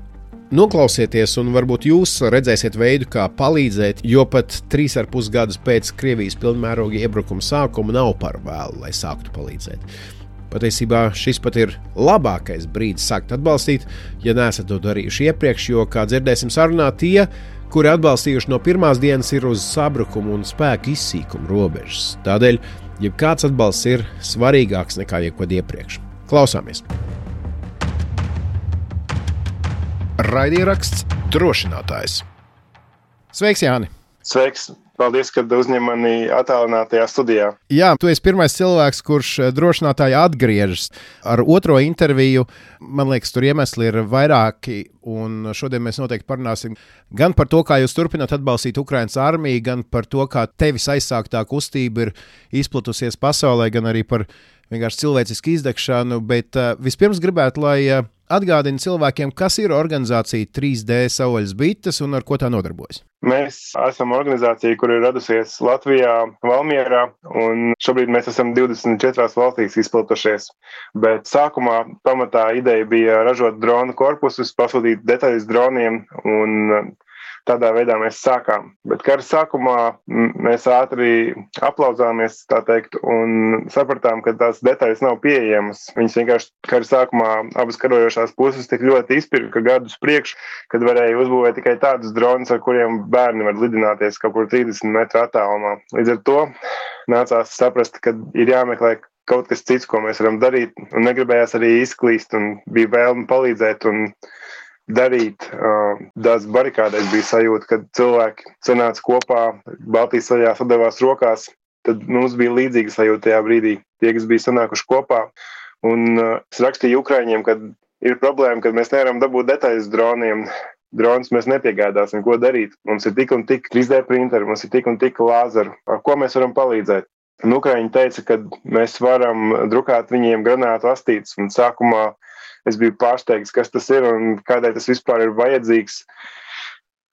Noklausieties, un varbūt jūs redzēsiet veidu, kā palīdzēt, jo pat 3,5 gadus pēc Krievijas pilnmēroga iebrukuma sākuma nav par vēlu, lai sāktu palīdzēt. Patiesībā šis pat ir labākais brīdis sākt atbalstīt, ja neesat to darījuši iepriekš, jo, kā dzirdēsim sarunā, tie, kuri atbalstījuši no pirmās dienas, ir uz sabrukumu un spēku izsīkumu robežas. Tādēļ, jebkāds atbalsts ir svarīgāks nekā jebkad iepriekš. Klausāmies! Raidieraksts Drošinātājs. Sveiks, Jāni! Sveiks! Paldies, ka uzņem mani attālinātajā studijā. Jā, tu esi pirmais cilvēks, kurš drošinātāji atgriežas ar otro interviju. Man liekas, tur iemesli ir vairāki, un šodien mēs noteikti parunāsim gan par to, kā jūs turpināt atbalstīt Ukrainas armiju, gan par to, kā tevis aizsāktā kustība ir izplatusies pasaulē, gan arī par vienkārši cilvēcisku izdegšanu. Bet vispirms gribētu, lai atgādina cilvēkiem, kas ir organizācija 3D Savvaļas bites un ar ko tā nodarbojas. Mēs esam organizācija, kur ir radusies Latvijā, Valmierā, un šobrīd mēs esam 24 valstīs izplatušies. Bet sākumā pamatā ideja bija ražot dronu korpusus, pasūtīt detaļas droniem, un tādā veidā mēs sākām. Bet kara sākumā mēs ātri aplauzāmies, tā teikt, un sapratām, ka tās detaļas nav pieejamas. Viņas vienkārši kara sākumā abas karojošās puses tik ļoti izpirka gadus priekš, kad varēja uzbūvēt tikai tādus dronus, ar kuriem bērni var lidināties kaut kur 30 metru attālumā. Līdz ar to nācās saprast, ka ir jāmeklē kaut kas cits, ko mēs varam darīt, un negribējās arī izklīst, un bija vēlme palīdzēt un darīt. Tās barikādēs bija sajūta, kad cilvēki sanāca kopā, Baltijas ceļā sadavās rokās, tad mums bija līdzīga sajūta tajā brīdī. Tie, kas bija sanākuši kopā, un es rakstīju Ukraiņiem, kad ir problēma, kad mēs nevaram dabūt detaļas droniem. Dronus mēs nepiegādāsim, ko darīt. Mums ir tik un tik 3D printeri, mums ir tik un tik lāzeru. Ar ko mēs varam palīdzēt? Un Ukraiņi teica, ka mēs varam drukāt viņiem granātu astītes, un sākumā es biju pārsteigts, kas tas ir un kādēļ tas vispār ir vajadzīgs.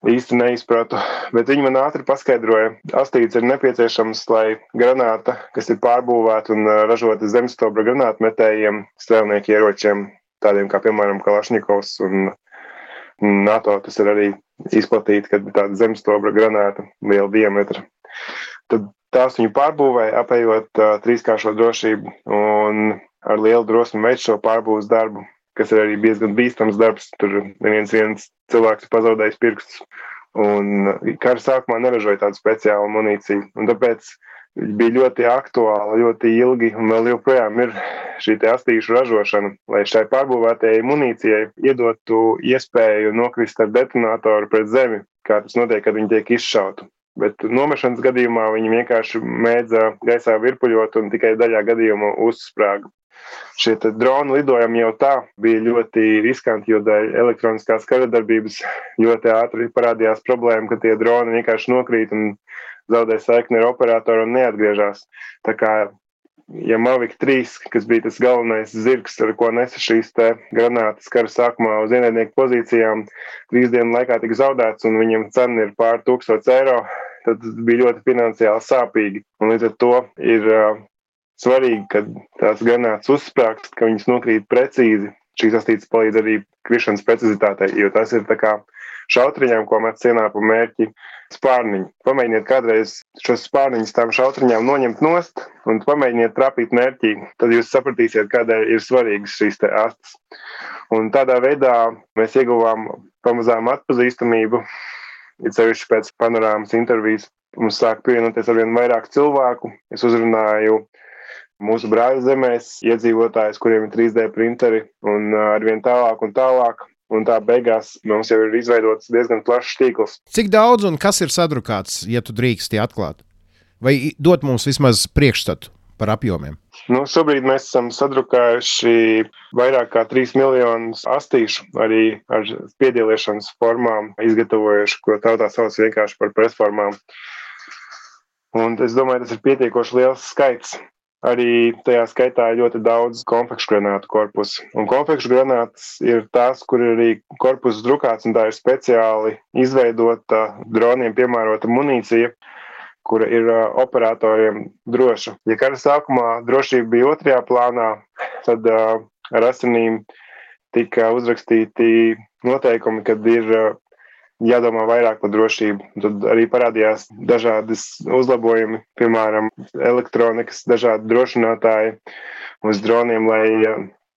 Īsti neizpratu, bet viņi man ātri paskaidroja. Astītes ir nepieciešams, lai granāta, kas ir pārbūvēta un ražota zemstobra granātmetējiem, strēlnieku ieročiem, tādiem kā, piemēram, Kalašņikovs un NATO, tas ir arī izplatīta, kad tāda zemstobra granāta liela diametra. Tad tās viņu pārbūvēja, apējot trīskāršo drošību un ar lielu drosmi veic šo pārbūves darbu, kas ir arī diezgan bīstams darbs. Tur viens cilvēks ir pazaudējis pirkstus. Un kara sākumā neražoja tādu speciālu munīciju. Un tāpēc bija ļoti aktuāla, ļoti ilgi, un vēl joprojām ir šī astīšu ražošana, lai šai pārbūvētajai munīcijai iedotu iespēju nokrist ar detonatoru pret zemi, kā tas notiek, kad viņi tiek izšauti. Bet nomešanas gadījumā viņi vienkārši mēdza gaisā virpuļot un tikai daļā gadījumā uzsprāga. Šie droni lidojumi jau tā bija ļoti riskanti, jo dēļ elektroniskās karadarbības ļoti ātri parādījās problēma, ka tie droni vienkārši nokrīt un zaudē saikni ar operatoru un neatgriežas. Tā kā, ja Mavic 3, kas bija tas galvenais zirgs, ar ko nesa šīs granātas kara sākumā uz ienaidnieku pozīcijām, 3 dienu laikā tika zaudēts un viņiem cena ir pār 1000 eiro, tad bija ļoti finansiāli sāpīgi. Un līdz ar to ir svarīgi, kad tās granātas uzsprāgst, ka viņas nokrīt precīzi. Šīs astītes palīdz arī krišanas precizitātei, jo tas ir tā kā šautriņām, ko met cienā pa mērķi spārniņu. Pamēģiniet kādreiz šos spārniņus tām šautriņām noņemt nost un pamēģiniet trapīt mērķī. Tad jūs sapratīsiet, kādēļ ir svarīgas šīs te astes. Un tādā veidā mēs ieguvām pamazām atpazīstamību, it sevišķi pēc panorāmas intervijas. Mums sāk pievienoties arvien vairāk cilvēku. Es uzrunāju mūsu brāļu zemēs iedzīvotājus, kuriem ir 3D printeri un arvien tālāk un tālāk. Un tā beigās mums jau ir izveidots diezgan plašs tīkls. Cik daudz un kas ir sadrukāts, ja tu drīksti atklāt? Vai dot mums vismaz priekšstatu par apjomiem? Šobrīd mēs esam sadrukājuši vairāk kā 3 miljonus astīšu, arī ar spiedieliešanas formām izgatavojuši, ko tautā sauc vienkārši par presformām. Un es domāju, tas ir pietiekoši liels skaits. Arī tajā skaitā ir ļoti daudz konfekšu granātu korpusu. Un konfekšu granātas ir tās, kur ir arī korpus drukāts, un tā ir speciāli izveidota droniem piemērota munīcija, kura ir operatoriem droša. Ja kara sākumā drošība bija otrajā plānā, tad ar asinīm tika uzrakstīti noteikumi, kad ir jādomā vairāk par drošību. Tad arī parādījās dažādas uzlabojumi, piemēram, elektronikas, dažādi drošinātāji uz droniem, lai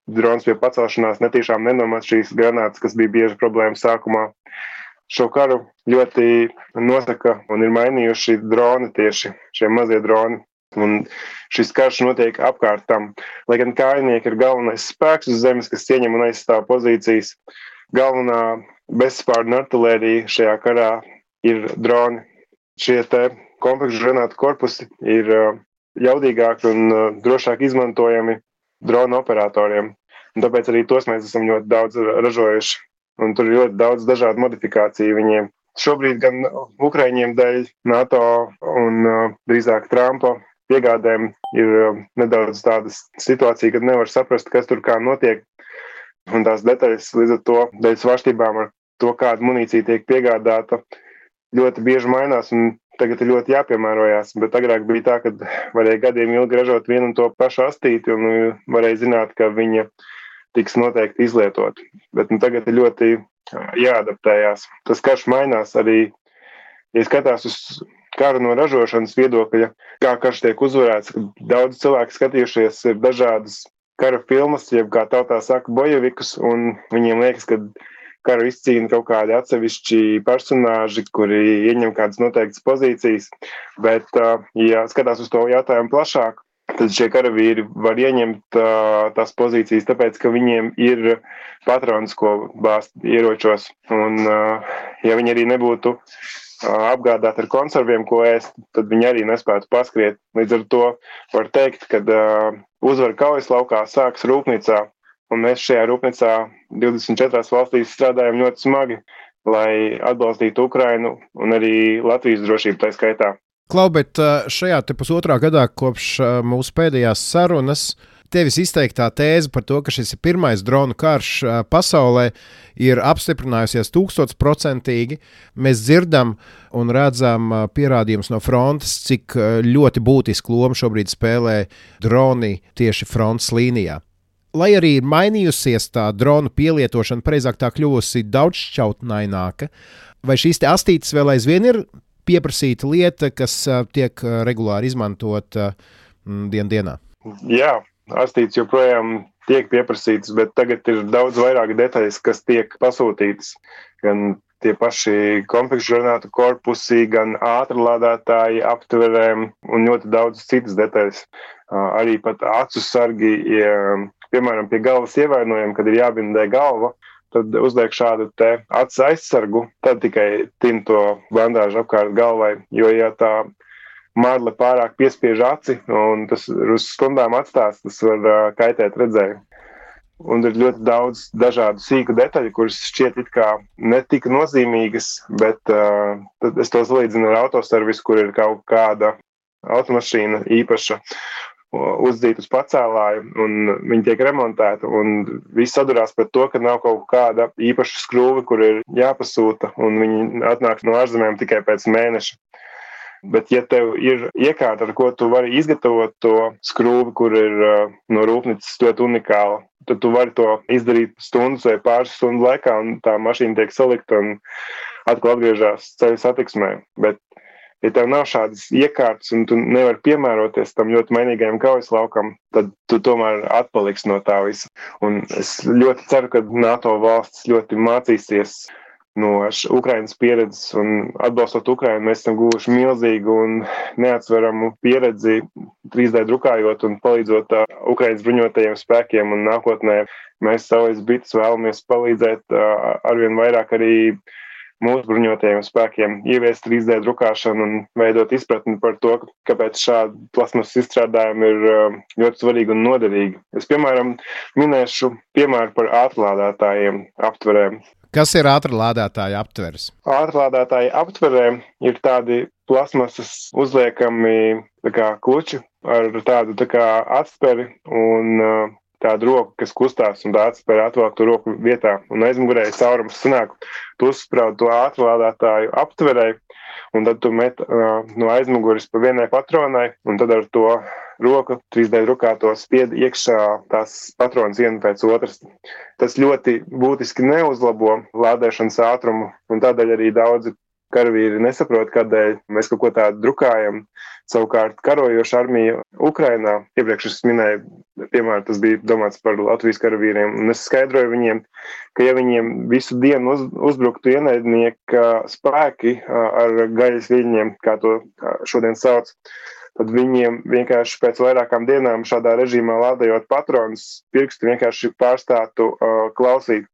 drons pie pacelšanās netīšām nenomāt šīs granātas, kas bija bieži problēma sākumā. Šo karu ļoti nosaka un ir mainījuši droni tieši, šie mazie droni. Un šis karš notiek apkārt tam. Lai gan kājnieki ir galvenais spēks uz zemes, kas ieņem un aizstāv pozīcijas, galvenā bezspārna artilērija šajā karā ir droni. Šie te konfekšu granātu korpusi ir jaudīgāki un drošāk izmantojami dronu operatoriem. Un tāpēc arī tos mēs esam ļoti daudz ražojuši. Un tur ir ļoti daudz dažādu modifikāciju viņiem. Šobrīd gan Ukraiņiem dēļ NATO un drīzāk Trumpa piegādēm ir nedaudz tāda situācija, kad nevar saprast, kas tur kā notiek. Un tās detaļas līdz ar to, dēļ svārstībām ar to, kāda munīcija tiek piegādāta, ļoti bieži mainās un tagad ir ļoti jāpiemērojās. Bet agrāk bija tā, ka varēja gadiem ilgi ražot vienu un to pašu astīti un varēja zināt, ka viņa tiks noteikti izlietot. Bet tagad ir ļoti jāadaptējās. Tas karš mainās arī, ja skatās uz karu no ražošanas viedokļa, kā karš tiek uzvarēts, kad daudz cilvēku skatījušies ir dažādas kara filmas, jeb kā tautā saka, bojevikus, un viņiem liekas, ka karu izcīna kaut kādi atsevišķi personāži, kuri ieņem kādas noteiktas pozīcijas, bet, ja skatās uz to jautājumu plašāk, tad šie karavīri var ieņemt tās pozīcijas, tāpēc, ka viņiem ir patrons, ko bāzt ieročos, un ja viņi arī nebūtu apgādāt ar konserviem, ko ēst, tad viņi arī nespētu paskriet. Līdz ar to var teikt, ka uzvara kaujas laukā sāks rūpnīcā, un mēs šajā rūpnīcā 24 valstīs strādājam ļoti smagi, lai atbalstītu Ukrainu un arī Latvijas drošību tā skaitā. Klau, bet šajā te pusotrā gadā kopš mūsu pēdējās sarunas tevis izteiktā tēze par to, ka šis ir pirmais dronu karš pasaulē, ir apstiprinājusies 1000%. Mēs dzirdam un redzam pierādījumus no frontes, cik ļoti būtisku lomu šobrīd spēlē droni tieši frontes līnijā. Lai arī ir mainījusies tā dronu pielietošana, precīzāk tā kļuvusi daudzšķautnaināka, vai šīs te astītes vēl aizvien ir pieprasīta lieta, kas tiek regulāri izmantota dienā? Jā. Astītes joprojām tiek pieprasītas, bet tagad ir daudz vairāk detaļas, kas tiek pasūtītas. Gan tie paši konfekšu granātu korpusi, gan ātrlādētāji, aptverēm un ļoti daudz citas detaļas. Arī pat acu sargi, piemēram, pie galvas ievainojuma, kad ir jābindē galva, tad uzliek šādu te acu aizsargu, tad tikai tin to bandāžu apkārt galvai, jo ja tā marle pārāk piespiež aci, un tas uz stundām atstās, tas var kaitēt redzējumu. Un ir ļoti daudz dažādu sīku detaļu, kuras šķiet it kā netika nozīmīgas, bet tad es to salīdzinu ar autoservisu, kur ir kaut kāda automašīna īpaša uzdīt uz pacēlāju, un viņi tiek remontēti, un viss sadurās par to, ka nav kaut kāda īpaša skrūve, kur ir jāpasūta, un viņi atnāk no ārzemēm tikai pēc mēneša. Bet, ja tev ir iekārta, ar ko tu vari izgatavot to skrūvi, kur ir no rūpnīcas ļoti unikāla, tad tu vari to izdarīt stundas vai pāris stundu laikā, un tā mašīna tiek salikta un atkal atgriežas ceļu satiksmē. Bet, ja tev nav šādas iekārtas un tu nevari piemēroties tam ļoti mainīgajam kaujas laukam, tad tu tomēr atpaliksi no tā visa. Un es ļoti ceru, ka NATO valstis ļoti mācīsies no Ukrainas pieredzes, un atbalstot Ukrainu, mēs esam guvuši milzīgu un neatsveramu pieredzi 3D drukājot un palīdzot Ukrainas bruņotajiem spēkiem, un nākotnē mēs savais bites vēlamies palīdzēt arvien vairāk arī mūsu bruņotajiem spēkiem ieviest 3D drukāšanu un veidot izpratni par to, kāpēc šādi plasmas izstrādājumi ir ļoti svarīgi un noderīgi. Es, piemēram, minēšu piemēru par ātrlādētājiem aptverēm. Kas ir ātrlādētāja aptveres? Ātrlādētāja aptverē ir tādi plasmasas uzliekami kluči ar tādu atsperi un tādu roku, kas kustās, un tā atspēra atvēlk to roku vietā. Un aizmugurē caurums sanāk, tu uzspraud to ātrlādētāju aptverē, un tad tu met no aizmuguris pa vienai patronai, un tad ar to roku 3D drukāto spied iekšā tās patronas viena pēc otras. Tas ļoti būtiski neuzlabo lādēšanas ātrumu, un tādēļ arī daudzi karavīri nesaprot, kādēļ mēs kaut ko tādu drukājam. Savukārt karojoša armija Ukrainā, iepriekš es minēju, piemēram, tas bija domāts par Latvijas karavīriem, un es skaidroju viņiem, ka ja viņiem visu dienu uzbruktu ienaidnieka spēki ar gaļas viļņiem, kā to šodien sauc, tad viņiem vienkārši pēc vairākām dienām šādā režīmā lādējot patronus, pirksti vienkārši pārstātu klausīt.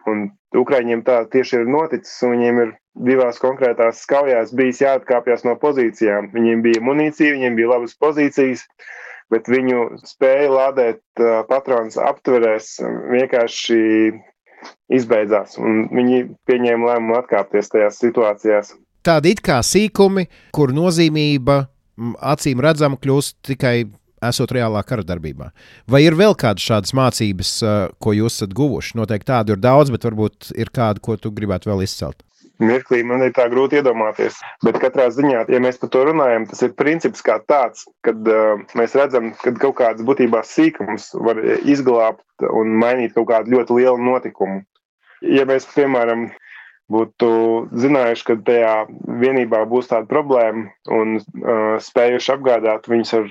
Un Ukraiņiem tā tieši ir noticis, un viņiem ir divās konkrētās kaujās bijis jāatkāpjas no pozīcijām. Viņiem bija munīcija, viņiem bija labas pozīcijas, bet viņu spēja lādēt patronus aptverēs vienkārši izbeidzās, un viņi pieņēma lēmumu atkāpties tajās situācijās. Tādi it kā sīkumi, kur nozīmība acīm redzama kļūst tikai esot reālā kara darbībā. Vai ir vēl kādas šādas mācības, ko jūs esat guvuši? Noteikti tādu ir daudz, bet varbūt ir kāda, ko tu gribētu vēl izcelt. Mirklī man ir tā grūti iedomāties, bet katrā ziņā, ja mēs par to runājam, tas ir princips kā tāds, kad mēs redzam, ka kaut kādas būtībā sīkums var izglābt un mainīt kaut kādu ļoti lielu notikumu. Ja mēs, piemēram, būtu zinājuši, ka tajā vienībā būs tāda problēma un spējuši apgādāt viņus ar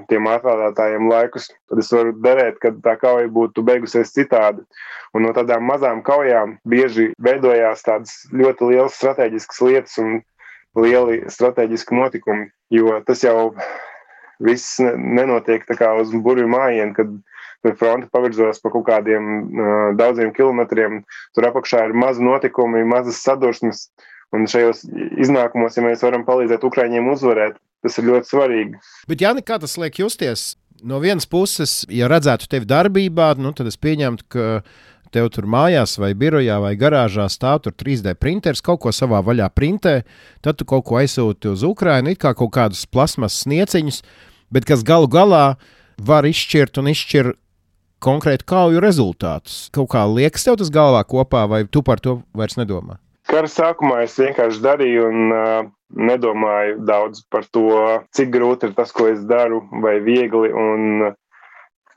tiem ātrlādētājiem laikus, tad es varu derēt, ka tā kauja būtu beigusies citādi. Un no tādām mazām kaujām bieži veidojās tādas ļoti lielas strateģiskas lietas un lieli strateģiski notikumi, jo tas jau viss nenotiek tā kā uz burvju mājienu, kad fronte pavirzos pa kaut kādiem daudziem kilometriem. Tur apakšā ir mazi notikumi, mazas sadursmes, un šajos iznākumos, ja mēs varam palīdzēt Ukraiņiem uzvarēt, tas ir ļoti svarīgi. Bet, Jāni, kā tas liek justies? No vienas puses, ja redzētu tevi darbībā, tad es pieņemtu, ka tev tur mājās vai birojā vai garāžā stāv tur 3D printeris, kaut ko savā vaļā printē, tad tu kaut ko aizsūti uz Ukrainu, it kā kaut kādus plasmas snieciņus, bet kas galu galā var izšķirt un izšķir konkrētu kauju rezultātus. Kaut kā liekas tev tas galvā kopā, vai tu par to vairs nedomā? Kara sākumā es vienkārši darīju un nedomāju daudz par to, cik grūti ir tas, ko es daru, vai viegli. Un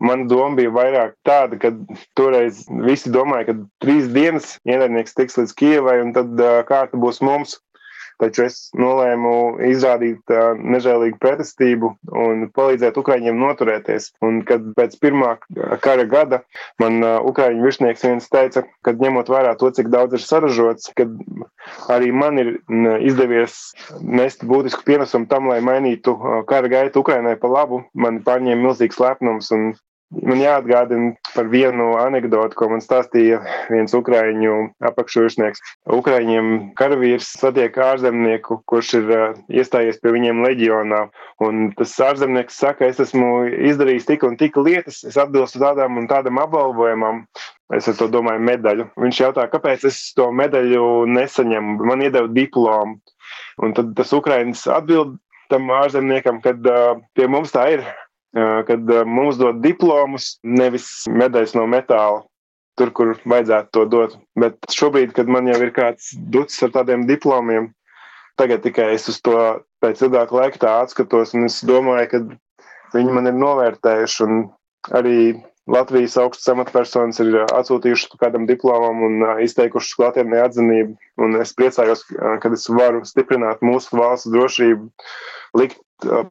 mana doma bija vairāk tāda, ka toreiz visi domāja, ka 3 dienas ienaidnieks tiks līdz Kijevai, un tad kārta būs mums. Taču es nolēmu izrādīt nežēlīgu pretestību un palīdzēt Ukraiņiem noturēties. Un kad pēc pirmā kara gada man Ukraiņu virsnieks viens teica, kad ņemot vērā to, cik daudz ir saražots, kad arī man ir izdevies nest būtisku pienesumu tam, lai mainītu kara gaitu Ukrainai pa labu, man pārņēma milzīgs lepnums. Un man jāatgādina par vienu anekdotu, ko man stāstīja viens Ukraiņu apakšvirsnieks. Ukraiņiem karavīrs satiek ārzemnieku, kurš ir iestājies pie viņiem leģionā. Un tas ārzemnieks saka, es esmu izdarījis tik un tik lietas, es atbilstu tādām un tādam apbalvojumam. Es ar to domāju medaļu. Viņš jautā, kāpēc es to medaļu nesaņemu. Man iedeva diplomu. Un tad tas Ukrainis atbild tam ārzemniekam, kad pie mums tā ir. Kad mums dod diplomus, nevis medaļas no metāla, tur, kur vajadzētu to dot. Bet šobrīd, kad man jau ir kāds ducis ar tādiem diplomiem, tagad tikai es uz to pēc ilgāka laika tā atskatos, un es domāju, ka viņi man ir novērtējuši, un arī Latvijas augstas amatpersonas ir atsūtījušas kādam diplomam un izteikušas klātienē atzinību. Un es priecājos, kad es varu stiprināt mūsu valsts drošību, likt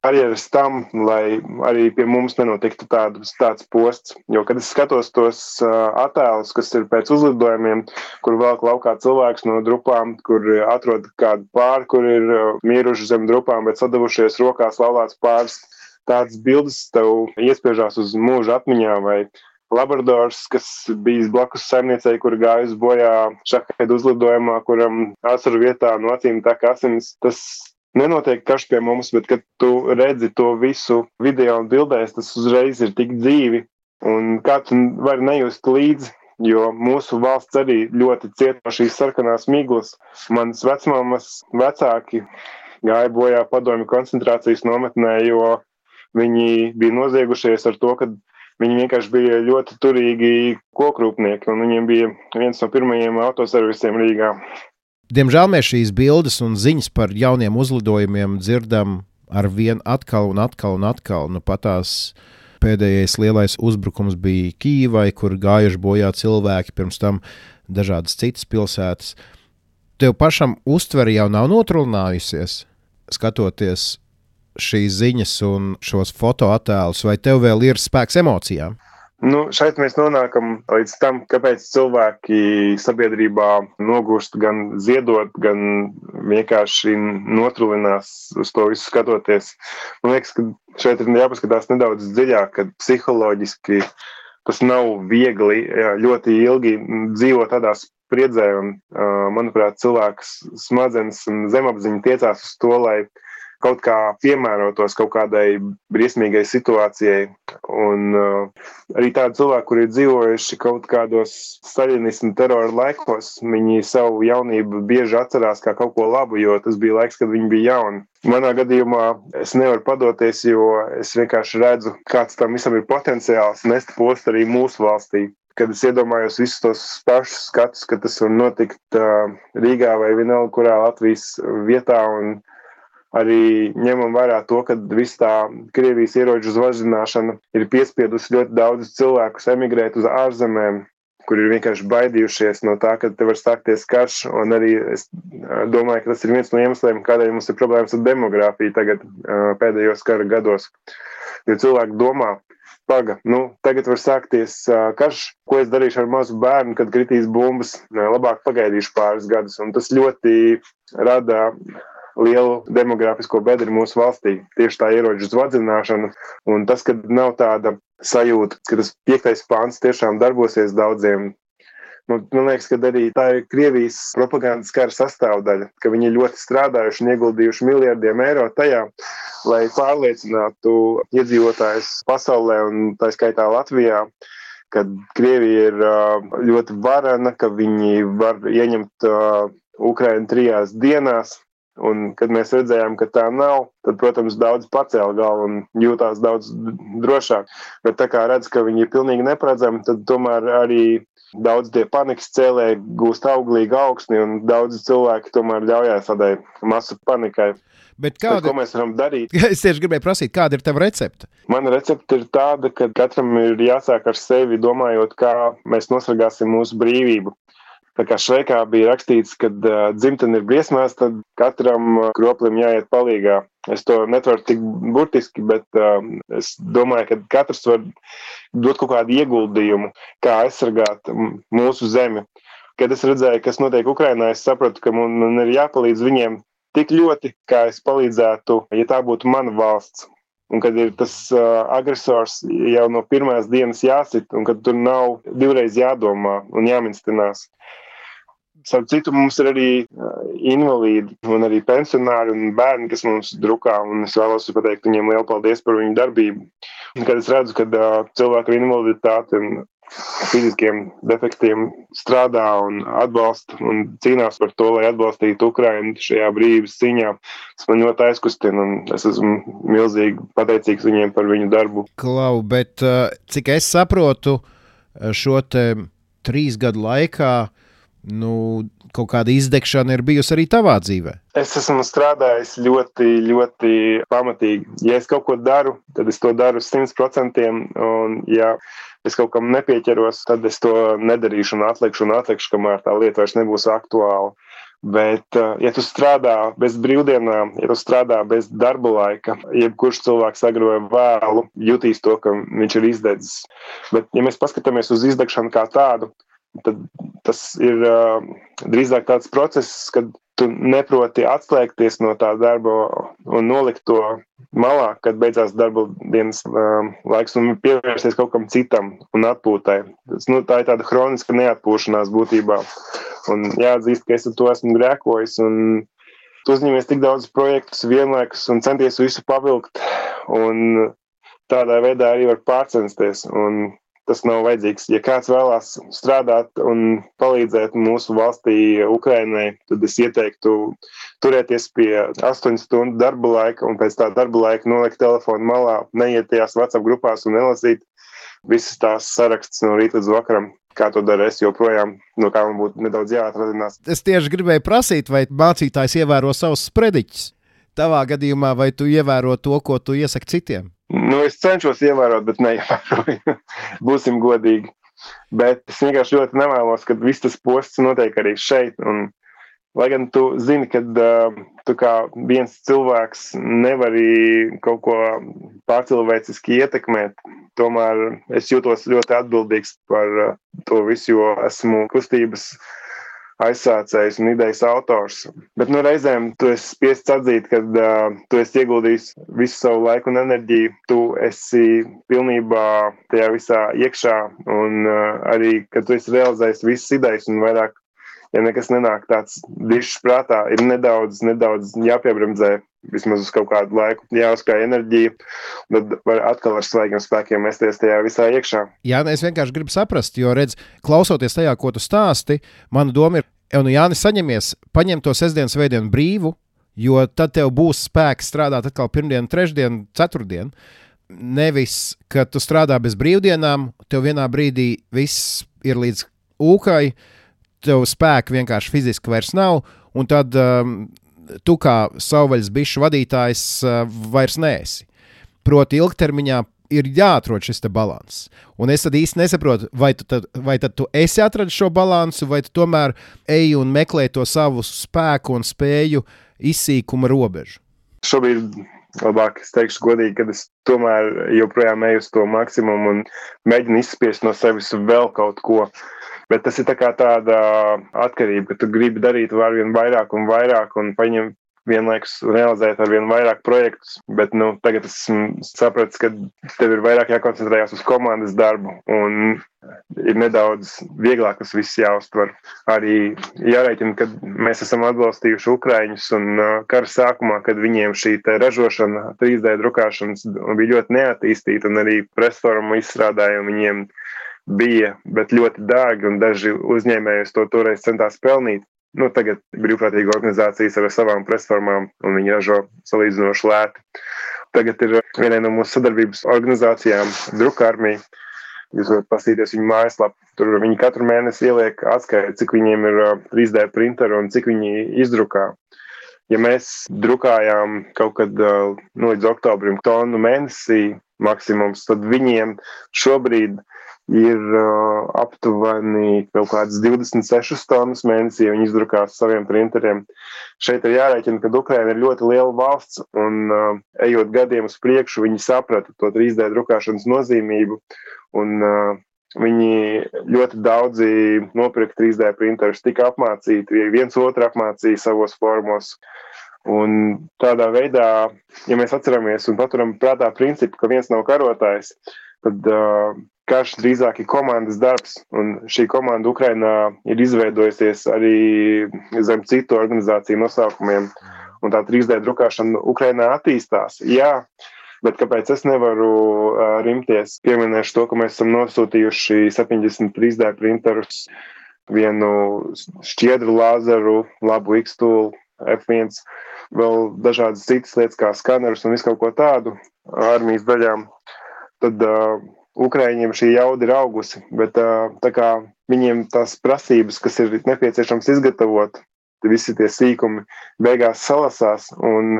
barjeras tam, lai arī pie mums nenotiktu tāds posts. Jo, kad es skatos tos attēlus, kas ir pēc uzlidojumiem, kur velk laukā cilvēks no drupām, kur atrod kādu pāri, kur ir miruši zem drupām, bet sadavušies rokās laulāts pāris, tādas bildes tev iespiežās uz mūža atmiņā, vai labradors, kas bijis blakus saimniecei, kur gājusi bojā šahēdu uzlidojumā, kuram asaru vietā no acīm tek asinis. Tas nenotiek karš pie mums, bet kad tu redzi to visu video un bildēs, tas uzreiz ir tik dzīvi, un kā tu vari nejust līdzi, jo mūsu valsts arī ļoti ciet no šīs sarkanās miglas. Manas vecmāmas vecāki gāja bojā padomju koncentrācijas nometnē, jo viņi bija noziegušies ar to, ka viņi vienkārši bija ļoti turīgi kokrūpnieki, un viņiem bija viens no pirmajiem autoservisiem Rīgā. Diemžēl mēs šīs bildes un ziņas par jauniem uzlidojumiem dzirdam ar vien atkal un atkal un atkal. Nu, patās pēdējais lielais uzbrukums bija Kīvai, kur gājuši bojā cilvēki, pirms tam dažādas citas pilsētas. Tev pašam uztvere jau nav notrulinājusies, skatoties šīs ziņas un šos fotoattēlus, vai tev vēl ir spēks emocijām? Šeit mēs nonākam līdz tam, kāpēc cilvēki sabiedrībā nogurst gan ziedot, gan vienkārši notrulinās uz to visu skatoties. Man liekas, ka šeit ir jāpaskatās nedaudz dziļāk, kad psiholoģiski tas nav viegli ļoti ilgi dzīvot tādā spriedzē, un, manuprāt, cilvēks smadzenes un zemapziņa tiecās uz to, lai kaut kā piemērotos kaut kādai briesmīgai situācijai. Un arī tādi cilvēki, kuri ir dzīvojuši kaut kādos staļinismu terora laikos, viņi savu jaunību bieži atcerās kā kaut ko labu, jo tas bija laiks, kad viņi bija jauni. Manā gadījumā es nevaru padoties, jo es vienkārši redzu, kāds tam visam ir potenciāls nest postu arī mūsu valstī. Kad es iedomājos visus tos pašus skatus, ka tas var notikt Rīgā vai vienalga kurā Latvijas vietā, un arī ņemam vērā to, ka viss tā Krievijas ieroču zvazināšana ir piespiedusi ļoti daudzus cilvēkus emigrēt uz ārzemēm, kur ir vienkārši baidījušies no tā, ka te var sākties karš, un arī es domāju, ka tas ir viens no iemesliem, kādēļ mums ir problēmas ar demogrāfiju tagad pēdējos kara gados. Jo cilvēki domā, tagad var sākties karš, ko es darīšu ar mazu bērnu, kad kritīs bumbas, labāk pagaidīšu pāris gadus, un tas ļoti rada lielu demogrāfisko bedri mūsu valstī. Tieši tā ieroču zvadzināšana, un tas, ka nav tāda sajūta, ka tas 5. pāns tiešām darbosies daudziem. Man liekas, ka arī tā ir Krievijas propagandas kara sastāvdaļa, ka viņi ļoti strādājuši un ieguldījuši miljardiem eiro tajā, lai pārliecinātu iedzīvotājus pasaulē un tā skaitā Latvijā, ka Krievija ir ļoti varena, ka viņi var ieņemt Ukrainu 3 dienās. Un, kad mēs redzējām, ka tā nav, tad, protams, daudz pacēla galvu un jūtās daudz drošāk. Bet tā kā redz, ka viņi ir pilnīgi neparedzami, tad tomēr arī daudz tie panikas cēlēji gūst auglīgu augsni, un daudzi cilvēki tomēr ļaujās tādai masu panikai. Bet ko mēs varam darīt? Es tieši gribēju prasīt, kāda ir tava recepte? Mana recepte ir tāda, ka katram ir jāsāk ar sevi, domājot, kā mēs nosargāsim mūsu brīvību. Tā kā Šveikā bija rakstīts, ka dzimtene ir briesmās, tad katram kroplim jāiet palīgā. Es to netvaru tik burtiski, bet es domāju, ka katrs var dot kaut kādu ieguldījumu, kā aizsargāt mūsu zemi. Kad es redzēju, kas notiek Ukrainā, es sapratu, ka man ir jāpalīdz viņiem tik ļoti, kā es palīdzētu, ja tā būtu mana valsts. Un kad ir tas agresors jau no pirmās dienas jāsit, un kad tur nav divreiz jādomā un jāminstinās. Savu citu mums ir arī invalīdi un arī pensionāri un bērni, kas mums drukā, un es vēlos pateikt viņiem lielu paldies par viņu darbību. Un kad es redzu, ka cilvēku ar invaliditāti un fiziskiem defektiem strādā un atbalsta un cīnās par to, lai atbalstītu Ukrainu šajā brīvības cīņā, tas man ļoti aizkustina, un es esmu milzīgi pateicīgs viņiem par viņu darbu. Klau, bet cik es saprotu, šo te 3 gadu laikā kaut kāda izdegšana ir bijusi arī tavā dzīvē? Es esmu strādājis ļoti, ļoti pamatīgi. Ja es kaut ko daru, tad es to daru 100%, un ja es kaut kam nepieķeros, tad es to nedarīšu un atlikšu, kamēr tā lieta vairs nebūs aktuāla. Bet, ja tu strādā bez brīvdienām, ja tu strādā bez darba laika, jebkurš cilvēks agroja vēlu, jutīs to, ka viņš ir izdedzis. Bet, ja mēs paskatāmies uz izdegšanu kā tādu, tad tas ir drīzāk tāds process, kad tu neproti atslēgties no tā darba un nolikt to malā, kad beidzās darba dienas laiks un pievērsties kaut kam citam un atpūtai. Tā ir tāda hroniska neatpūšanās būtībā. Un jāatzīst, ka es ar to esmu grēkojis un tu uzņemies tik daudz projektus vienlaikus un centies visu pavilkt un tādā veidā arī var pārcensties un tas nav vajadzīgs. Ja kāds vēlās strādāt un palīdzēt mūsu valstī Ukrainai, tad es ieteiktu turēties pie 8 stundu darba laika un pēc tā darba laika nolikt telefonu malā, neiet tajās WhatsApp grupās un nelasīt visas tās sarakstas no rīta līdz vakaram. Kā to dara es joprojām, no kā man būtu nedaudz jāatradinās. Es tieši gribēju prasīt, vai mācītājs ievēro savus sprediķus. Tavā gadījumā, vai tu ievēro to, ko tu iesaki citiem? Es cenšos ievērot, bet neievēroju. Būsim godīgi. Bet es vienkārši ļoti nevēlos, ka viss tas posts notiek arī šeit. Un, lai gan tu zini, ka tu kā viens cilvēks nevari kaut ko pārcilvēciski ietekmēt, tomēr es jūtos ļoti atbildīgs par to visu, jo esmu kustības aizsācējs un idejas autors. Bet reizēm tu esi spiests atzīt, ka tu esi ieguldījis visu savu laiku un enerģiju, tu esi pilnībā tajā visā iekšā un arī, ka tu esi realizējis visas idejas un vairāk, ja nekas nenāk tāds dišs prātā, ir nedaudz jāpiebremzē, vismaz uz kaut kādu laiku, jāuzkrāj enerģija, tad var atkal ar svaigiem spēkiem mesties tajā visā iekšā. Jā, es vienkārši gribu saprast, jo redz, klausoties tajā, ko tu stāsti, mana doma ir, Jānis, saņemies, paņem to sestdienas svētdienu brīvu, jo tad tev būs spēks strādāt atkal pirmdienu, trešdienu, ceturtdienu. Nevis, ka tu strādā bez brīvdienām, tev vienā brīdī viss ir līdz ūkai, tev spēka vienkārši fiziski vairs nav, un tad tu kā savvaļas bišu vadītājs vairs neesi. Proti ilgtermiņā ir jāatrod šis te balanss. Un es tad īsti nesaprotu, vai tad tu esi atradis šo balansu, vai tu tomēr ej un meklē to savu spēku un spēju izsīkuma robežu. Šobrīd labāk es teikšu godīgi, ka es tomēr joprojām eju uz to maksimumu un mēģinu izspiest no sevis vēl kaut ko. Bet tas ir tā kā tāda atkarība, ka tu gribi darīt arvien vairāk un paņem vienlaikus realizēt arvien vairāk projektus, bet tagad esmu sapratis, ka tev ir vairāk jākoncentrējās uz komandas darbu un ir nedaudz vieglāk tas viss jāuztver. Arī jārēķina, ka mēs esam atbalstījuši ukraiņus un kara sākumā, kad viņiem šī ražošana, 3D drukāšanas bija ļoti neattīstīta un arī presformu izstrādājumi viņiem bija, bet ļoti dārgi un daži uzņēmēji to toreiz centās pelnīt. Tagad brīvprātīga organizācijas ar savām presformām un viņi ražo salīdzinoši lēti. Tagad ir vienai no mūsu sadarbības organizācijām Drukarmija. Jūs varat paskatīties viņu mājaslapu. Tur viņi katru mēnesi ieliek atskaiti, cik viņiem ir 3D printeri un cik viņi izdrukā. Ja mēs drukājām kaut kad līdz oktobrim tonu mēnesī maksimums, tad viņiem šobrīd ir aptuveni kaut kādas 26 tonnas mēnesī, viņi izdrukās saviem printeriem. Šeit ir jārēķina, ka Ukraina ir ļoti liela valsts un ejot gadiem uz priekšu, viņi saprata to 3D drukāšanas nozīmību un viņi ļoti daudzi nopirka 3D printerus, tika apmācīti, viens otru apmācīja savos formos. Un tādā veidā, ja mēs atceramies un paturam prātā principu, ka viens nav karotājs, tad karš drīzāk ir komandas darbs, un šī komanda Ukrainā ir izveidojusies arī zem citu organizāciju nosaukumiem, un tā 3D drukāšana Ukrainā attīstās. Jā, bet kāpēc es nevaru rimties? Pieminēšu to, ka mēs esam nosūtījuši 70 3D printerus, vienu šķiedru lāzeru, labu X-tool, F1, vēl dažādas citas lietas kā skanerus un visu kaut ko tādu armijas daļām. Tad Ukraiņiem šī jauda ir augusi, bet tā kā viņiem tās prasības, kas ir nepieciešams izgatavot, visi tie sīkumi beigās salasās un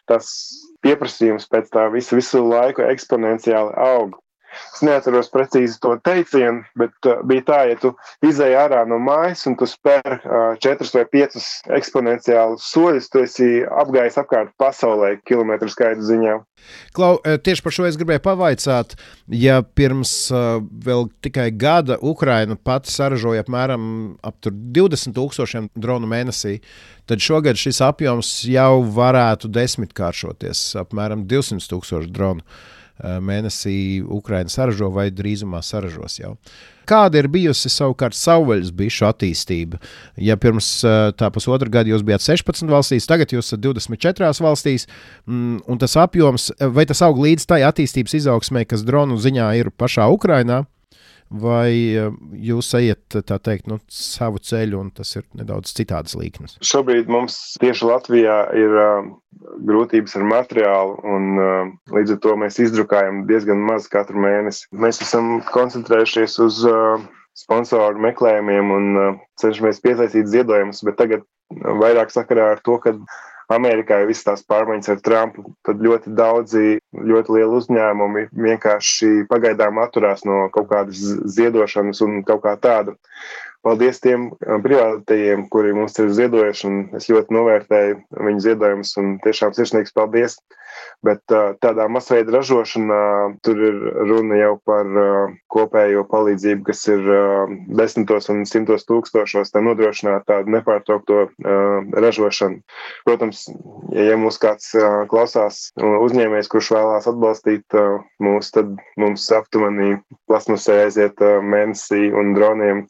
tas pieprasījums pēc tā visu laiku eksponenciāli aug. Es neatceros precīzi to teicienu, bet bija tā, ja tu izēji ārā no mājas un tu spēr 4 vai 5 eksponenciālus soļus, tu esi apgājis apkārt pasaulē kilometru skaitu ziņā. Klau, tieši par šo es gribēju pavaicāt, ja pirms vēl tikai gada Ukraina pati saražoja apmēram ap 20,000 dronu mēnesī, tad šogad šis apjoms jau varētu 10-kāršoties, apmēram 200,000 dronu mēnesī Ukraina saražo vai drīzumā saražos jau. Kāda ir bijusi savukārt savvaļas bišu attīstība? Ja pirms tā pusotra gada jūs bijāt 16 valstīs, tagad jūs esat 24 valstīs, un tas apjoms, vai tas aug līdz tai attīstības izaugsmē, kas dronu ziņā ir pašā Ukrainā, vai jūs ejat, tā teikt, savu ceļu, un tas ir nedaudz citādas līknes? Šobrīd mums tieši Latvijā ir grūtības ar materiālu, un līdz ar to mēs izdrukājam diezgan maz katru mēnesi. Mēs esam koncentrējušies uz sponsoru meklējumiem un cenšamies piesaistīt ziedojumus, bet tagad vairāk sakarā ar to, ka Amerikā ir visas tās pārmaiņas ar Trumpu, tad ļoti daudzi, ļoti lieli uzņēmumi vienkārši pagaidām atturās no kaut kādas ziedošanas un kaut kā tāda. Paldies tiem privātajiem, kuri mums ir ziedojuši, un es ļoti novērtēju viņu ziedojumus, un tiešām sirsnīgs paldies. Bet tādā masveida ražošanā tur ir runa jau par kopējo palīdzību, kas ir 10 un 100 tūkstošos, tā nodrošināt tādu nepārtraukto ražošanu. Protams, ja mūs kāds klausās uzņēmējs, kurš vēlās atbalstīt mūs, tad mums aptuveni plasmasē aiziet mēnesī un droniem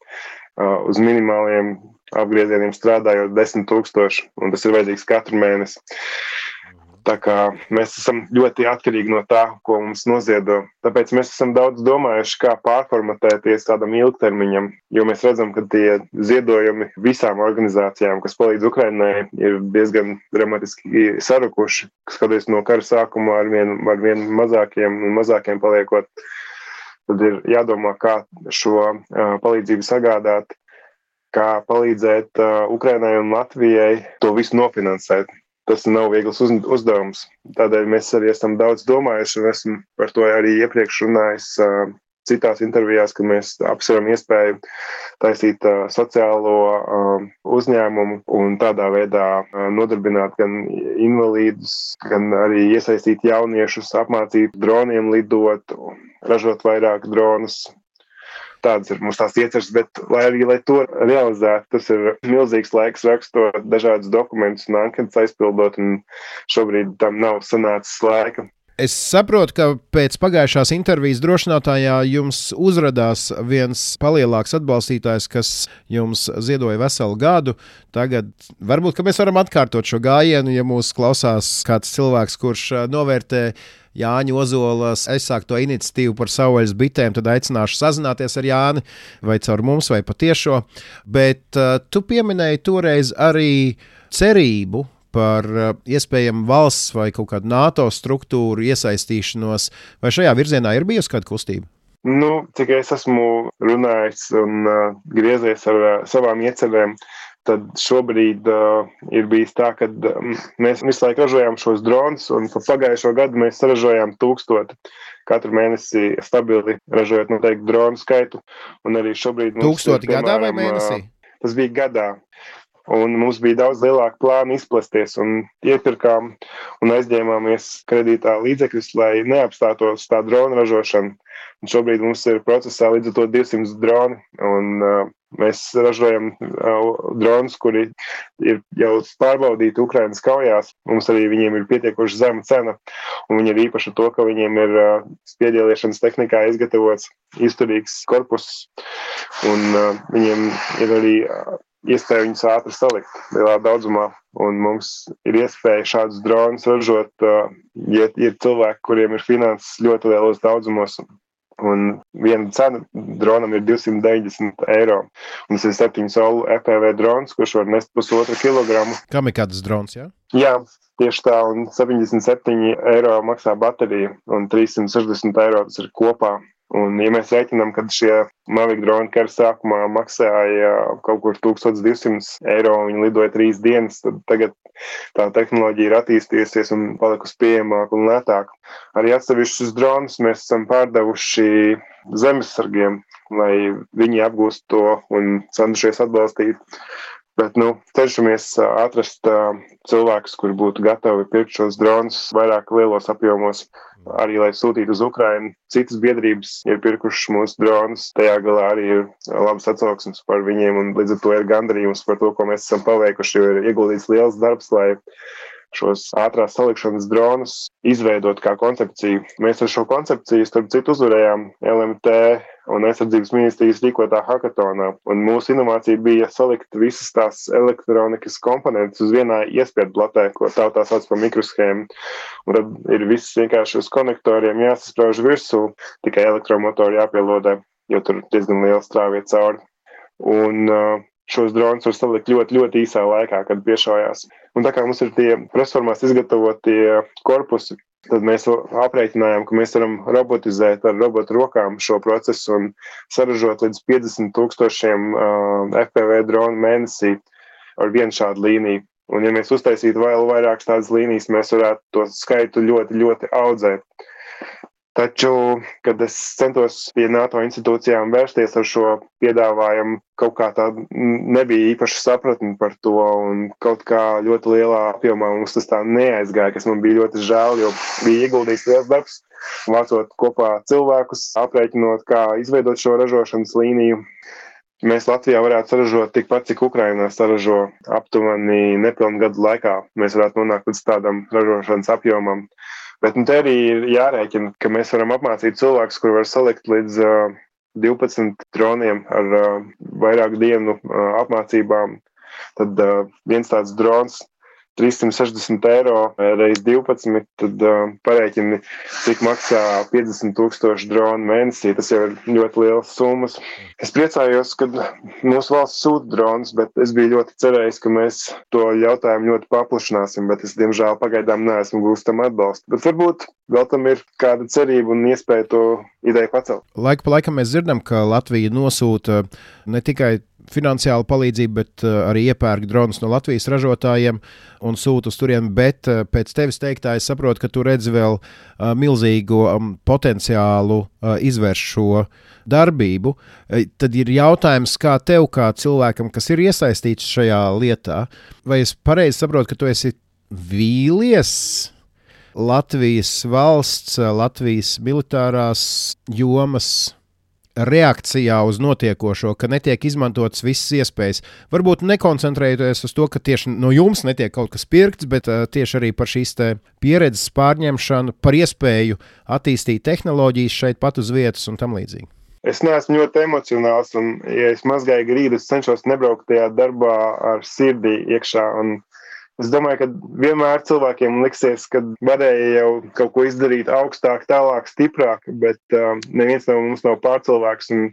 uz minimāliem apgriezieniem strādājot 10,000, un tas ir vajadzīgs katru mēnesi. Tā kā mēs esam ļoti atkarīgi no tā, ko mums noziedo. Tāpēc mēs esam daudz domājuši, kā pārformatēties tādam ilgtermiņam, jo mēs redzam, ka tie ziedojumi visām organizācijām, kas palīdz Ukrainai, ir diezgan dramatiski sarukuši, skatoties no kara sākuma ar vien mazākiem paliekot. Tad ir jādomā, kā šo palīdzību sagādāt, kā palīdzēt Ukrainai un Latvijai to visu nofinansēt. Tas nav viegls uzdevums. Tādēļ mēs arī esam daudz domājuši, un esmu par to arī iepriekš runājis citās intervijās, ka mēs apsveram iespēju taisīt sociālo uzņēmumu un tādā veidā nodarbināt gan invalīdus, gan arī iesaistīt jauniešus, apmācīt droniem lidot, ražot vairāk dronus. Tādas ir mums tās ieceres, bet lai to realizētu, tas ir milzīgs laiks rakstot dažādus dokumentus un anketas aizpildot, un šobrīd tam nav sanācis laika. Es saprotu, ka pēc pagājušās intervijas drošinātājā jums uzradās viens palielāks atbalstītājs, kas jums ziedoja veselu gadu. Tagad varbūt, ka mēs varam atkārtot šo gājienu, ja mūs klausās kāds cilvēks, kurš novērtē Jāņa Ozolas aizsākto iniciatīvu par savvaļas bitēm, tad aicināšu sazināties ar Jāni vai caur mums vai patiešo. Bet tu pieminēji toreiz arī cerību par iespējamu valsts vai kaut kādu NATO struktūru iesaistīšanos. Vai šajā virzienā ir bijusi kāda kustība? Cik es esmu runājis un griezies ar savām iecerēm, tad šobrīd ir bijis tā, ka mēs visu laiku ražojām šos dronus, un pa pagājušo gadu mēs saražojām 1000 katru mēnesi stabili ražojot noteikti dronu skaitu. Un arī šobrīd 1000 gadā vai mēnesī? Tas bija gadā. Un mums bija daudz lielāka plāna izplesties, un iepirkām un aizņēmāmies kredītā līdzekļus, lai neapstātos tā drona ražošana. Un šobrīd mums ir procesā līdz ar to 200 droni, un mēs ražojam dronus, kuri ir jau pārbaudīti Ukrainas kaujās. Mums arī viņiem ir pietiekoši zema cena, un viņi ir īpaši to, ka viņiem ir spiedieliešanas tehnikā izgatavots izturīgs korpus, un viņiem ir arī iespēja viņus ātri salikt lielā daudzumā, un mums ir iespēja šādus dronus ražot, ja ir cilvēki, kuriem ir finanses ļoti lielos daudzumos, un viena cena dronam ir 290 eiro, un tas ir 7 solu FPV drons, kurš var nest 1,5 kilogramu. Kamikādas drons, jā? Jā, tieši tā, un 77 eiro maksā baterija, un 360 eiro tas ir kopā. Un, ja mēs rēķinām, ka šie Mavic droni kara sākumā maksāja kaut kur 1200 eiro, viņi lidoja 3 dienas, tad tagad tā tehnoloģija ir attīstījusies un palikusi pieejamāka un lētāka. Arī atsevišķus dronus mēs esam pārdevuši zemesargiem, lai viņi apgūst to un cenšies atbalstīt. Bet, cenšamies atrast cilvēkus, kuri būtu gatavi pirkt šos dronus vairāk lielos apjomos, arī lai sūtītu uz Ukrainu. Citas biedrības ir pirkušas mūsu dronus, tajā galā arī ir labas atsauksmes par viņiem, un līdz ar to ir gandarījums par to, ko mēs esam paveikuši, jo ir ieguldīts liels darbs, lai šos ātrās salikšanas dronus izveidot kā koncepciju. Mēs ar šo koncepciju, starp citu, uzvarējām LMT un aizsardzības ministrijas rīkotā hakatonā. Un mūsu inovācija bija salikt visas tās elektronikas komponentes uz vienā iespiedu platē, ko tautā sauc par mikroshēmu. Un tad ir viss vienkārši uz konektoriem jāsasprauž virsū, tikai elektromotori jāpielodē, jo tur diezgan liela strāviet cauri. Un šos dronus var salikt ļoti, ļoti īsā laikā, kad piešaujās. Un tā kā mums ir tie presformās izgatavotie korpusi, tad mēs aprēķinājām, ka mēs varam robotizēt ar robotu rokām šo procesu un saražot līdz 50,000 FPV dronu mēnesī ar vienu šādu līniju. Un ja mēs uztaisītu vēl vairākas tādas līnijas, mēs varētu to skaitu ļoti, ļoti audzēt. Taču, kad es centos pie NATO institūcijām vērsties ar šo piedāvājumu, kaut kā tā nebija īpaši sapratni par to, un kaut kā ļoti lielā apjomā mums tas tā neaizgāja, kas man bija ļoti žēl, jo bija ieguldīts liels darbs, vācot kopā cilvēkus, aprēķinot, kā izveidot šo ražošanas līniju. Mēs Latvijā varētu saražot tikpat, cik Ukrainā saražo aptuveni nepilnu gadu laikā. Mēs varētu nonākt līdz tādam ražošanas apjomam. Bet te arī ir jārēķina, ka mēs varam apmācīt cilvēkus, kuri var salikt līdz 12 droniem ar vairāku dienu apmācībām. Tad viens tāds drons 360 eiro reiz 12, tad parēķini, cik maksā 50,000 dronu mēnesī. Tas jau ir ļoti liels summas. Es priecājos, ka mūsu valsts sūta dronus, bet es biju ļoti cerējis, ka mēs to jautājumu ļoti paplašināsim, bet es, diemžēl, pagaidām neesmu gūstam atbalstu. Bet varbūt vēl tam ir kāda cerība un iespēja to ideju pacelt. Laiku pa laikam mēs dzirdam, ka Latvija nosūta ne tikai finansiālu palīdzību, bet arī iepērk dronus no Latvijas ražotājiem un sūta uz turieni, bet pēc tevis teiktā es saprotu, ka tu redzi vēl milzīgu potenciālu izvērst šo darbību. Tad ir jautājums, kā tev, kā cilvēkam, kas ir iesaistīts šajā lietā, vai es pareizi saprotu, ka tu esi vīlies Latvijas valsts, Latvijas militārās jomas reakcijā uz notiekošo, ka netiek izmantotas visas iespējas. Varbūt nekoncentrējoties uz to, ka tieši no jums netiek kaut kas pirkts, bet tieši arī par šīs pieredzes pārņemšanu, par iespēju attīstīt tehnoloģijas šeit pat uz vietas un tam līdzīgi. Es neesmu ļoti emocionāls, un, ja es mazgāju grīdu, es cenšos nebraukt tajā darbā ar sirdī iekšā. Un es domāju, ka vienmēr cilvēkiem liksies, ka varēja jau kaut ko izdarīt augstāk, tālāk, stiprāk, bet neviens no mums nav pārcilvēks, un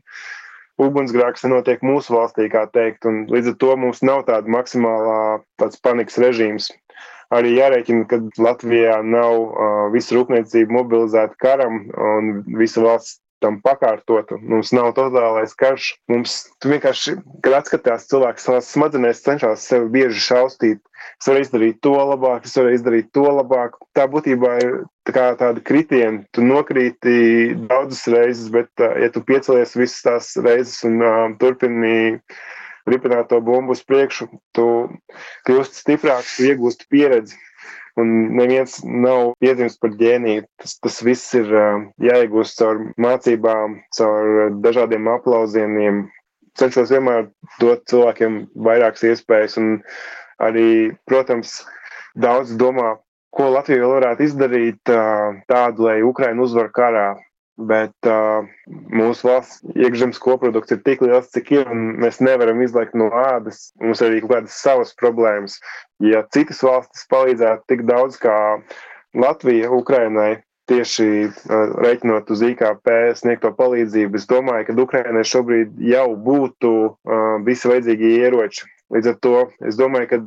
ugunsgrēks nenotiek mūsu valstī, kā teikt, un līdz ar to mums nav tāda maksimālā tāds panikas režīms. Arī jārēķina, ka Latvijā nav visa rūpniecība mobilizēta karam, un visa valsts tam pakārtot. Mums nav totālais karš. Mums vienkārši, kad atskatās cilvēks savās smadzenēs, cenšas sevi bieži šaustīt. Es varu izdarīt to labāk, es varu izdarīt to labāk. Tā būtībā ir tāda kritiena. Tu nokrīti daudzas reizes, bet ja tu piecelies visas tās reizes un turpini ripināt to bumbu uz priekšu, tu kļūsti stiprāks, tu iegūsti pieredzi. Un neviens nav piedzimis par ģēniju. Tas viss ir jāiegūst caur mācībām, caur dažādiem aplausieniem. Cenšos vienmēr dot cilvēkiem vairākas iespējas. Un arī, protams, daudz domā, ko Latvija vēl varētu izdarīt tādu, lai Ukraina uzvar karā. Bet mūsu valsts iekšzemes koprodukts ir tik liels, cik ir, un mēs nevaram izlaikt no ādas. Mums ir arī kaut kādas savas problēmas. Ja citas valstis palīdzētu tik daudz kā Latvija Ukrainai, tieši reiķinot uz IKP sniegto palīdzību, es domāju, ka Ukrainai šobrīd jau būtu visi vajadzīgie ieroči. Līdz ar to es domāju, ka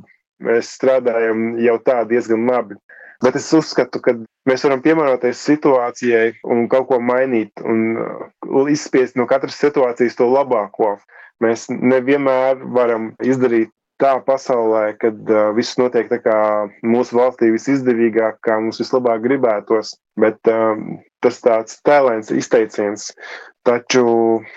mēs strādājam jau tā diezgan labi. Bet es uzskatu, ka mēs varam piemēroties situācijai un kaut ko mainīt un izspiest no katras situācijas to labāko. Mēs nevienmēr varam izdarīt tā pasaulē, kad viss notiek tā kā mūsu valstī visizdevīgāk, kā mums vislabāk gribētos, bet tas tāds tēlēns izteiciens. Taču,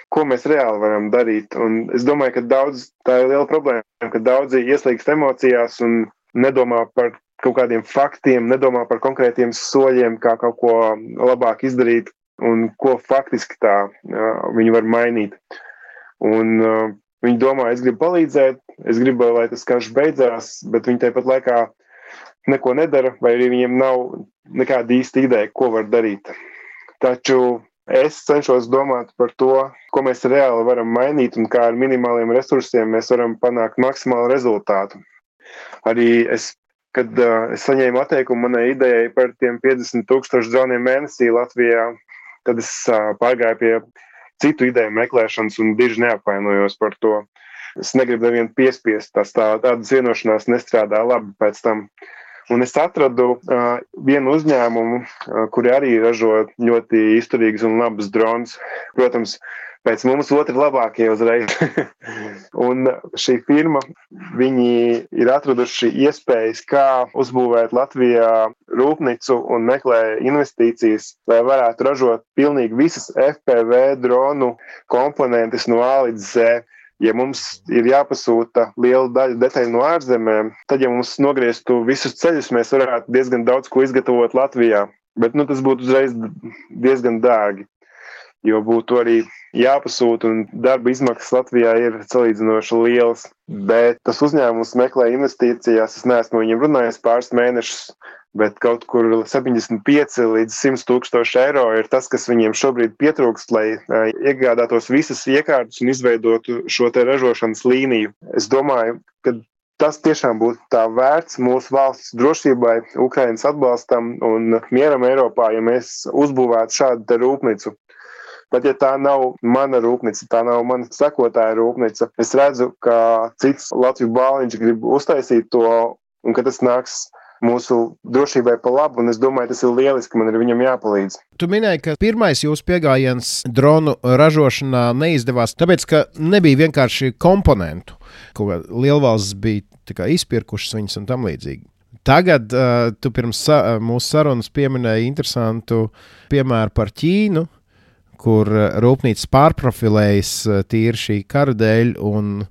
ko mēs reāli varam darīt? Un es domāju, ka tā ir liela problēma, ka daudzi ieslīgst emocijās un nedomā par kaut kādiem faktiem, nedomā par konkrētiem soļiem, kā kaut ko labāk izdarīt un ko faktiski tā viņi var mainīt. Un viņi domā, es gribu palīdzēt, es gribu, lai tas karš beidzās, bet viņi tāpat laikā neko nedara, vai arī viņiem nav nekāda īsta ideja, ko var darīt. Taču es cenšos domāt par to, ko mēs reāli varam mainīt un kā ar minimāliem resursiem mēs varam panākt maksimālu rezultātu. Arī kad es saņēmu atteikumu manai idejai par tiem 50,000 droniem mēnesī Latvijā, tad es pārgāju pie citu ideju meklēšanas un diži neapvainojos par to. Es negribu nevienu piespiest, tādas vienošanās nestrādā labi pēc tam. Un es atradu vienu uzņēmumu, kuri arī ražo ļoti izturīgus un labus dronus. Protams, pēc mums otri labākie uzreiz. Un šī firma, viņi ir atraduši iespējas, kā uzbūvēt Latvijā rūpnicu un meklē investīcijas, lai varētu ražot pilnīgi visas FPV dronu komponentes no A līdz Z. Ja mums ir jāpasūta liela daļa detaļu no ārzemēm, tad, ja mums nogrieztu visus ceļus, mēs varētu diezgan daudz ko izgatavot Latvijā. Bet tas būtu uzreiz diezgan dārgi, jo būtu arī jāpasūta un darba izmaksas Latvijā ir salīdzinoši lielas. Bet tas uzņēmums meklē investīcijās, es neesmu viņiem runājis pāris mēnešus, bet kaut kur 75 līdz 100,000 eiro ir tas, kas viņiem šobrīd pietrūkst, lai iegādātos visas iekārtas un izveidotu šo te ražošanas līniju. Es domāju, ka tas tiešām būtu tā vērts mūsu valsts drošībai, Ukrainas atbalstam un mieram Eiropā, ja mēs uzbūvētu šādu te rūpnicu. Pat ja tā nav mana rūpnica, tā nav mana sekotāja rūpnica, es redzu, ka cits Latviju bāliņš grib uztaisīt to un ka tas nāks mūsu drošībai pa labu, un es domāju, tas ir lieliski, man ir viņam jāpalīdz. Tu minēji, ka pirmais jūsu pieejams dronu ražošanā neizdevās, tāpēc, ka nebija vienkārši komponentu. Kaut kā lielvalsts bija izpirkušas viņas un tam līdzīgi. Tagad tu pirms mūsu sarunas pieminēji interesantu piemēru par Ķīnu, kur rūpnīcas pārprofilējas tīri šī kara dēļ un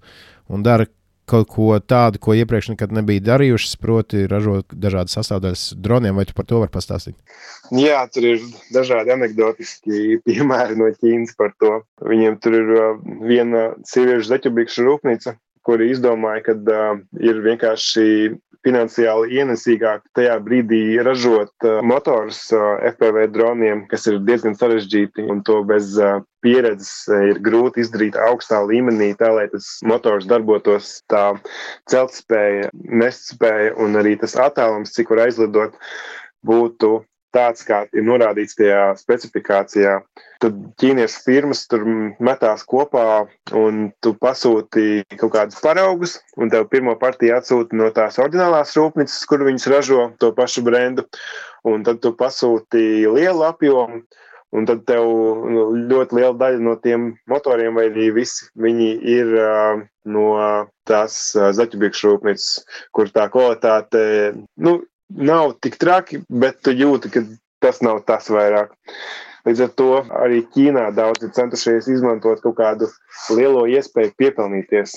dara kaut ko tādu, ko iepriekš nekad nebija darījušas, proti ražot dažādas sastāvdaļas droniem, vai tu par to vari pastāstīt? Jā, tur ir dažādi anekdotiski piemēri no Ķīnas par to. Viņiem tur ir viena sieviešu zeķubikšu rūpnīca, kuri izdomāja, ka ir vienkārši finansiāli ienesīgāk tajā brīdī ražot motors FPV droniem, kas ir diezgan sarežģīti, un to bez pieredzes ir grūti izdarīt augstā līmenī, tā lai tas motors darbotos, tā celtspēja, nestspēja un arī tas attālums, cik var aizlidot, būtu tāds, kā ir norādīts tajā specifikācijā. Tad ķīniešu firmas tur metās kopā un tu pasūti kaut kādus paraugus un tev pirmo partiju atsūti no tās oriģinālās rūpnīcas, kur viņas ražo to pašu brendu. Un tad tu pasūti lielu apjomu un tad tev ļoti liela daļa no tiem motoriem vai arī visi viņi ir no tās zaķubikšu rūpnīcas, kur tā kvalitāte, nav tik traki, bet tu jūti, ka tas nav tas vairāk. Līdz ar to arī Ķīnā daudz ir centušies izmantot kaut kādu lielo iespēju piepelnīties.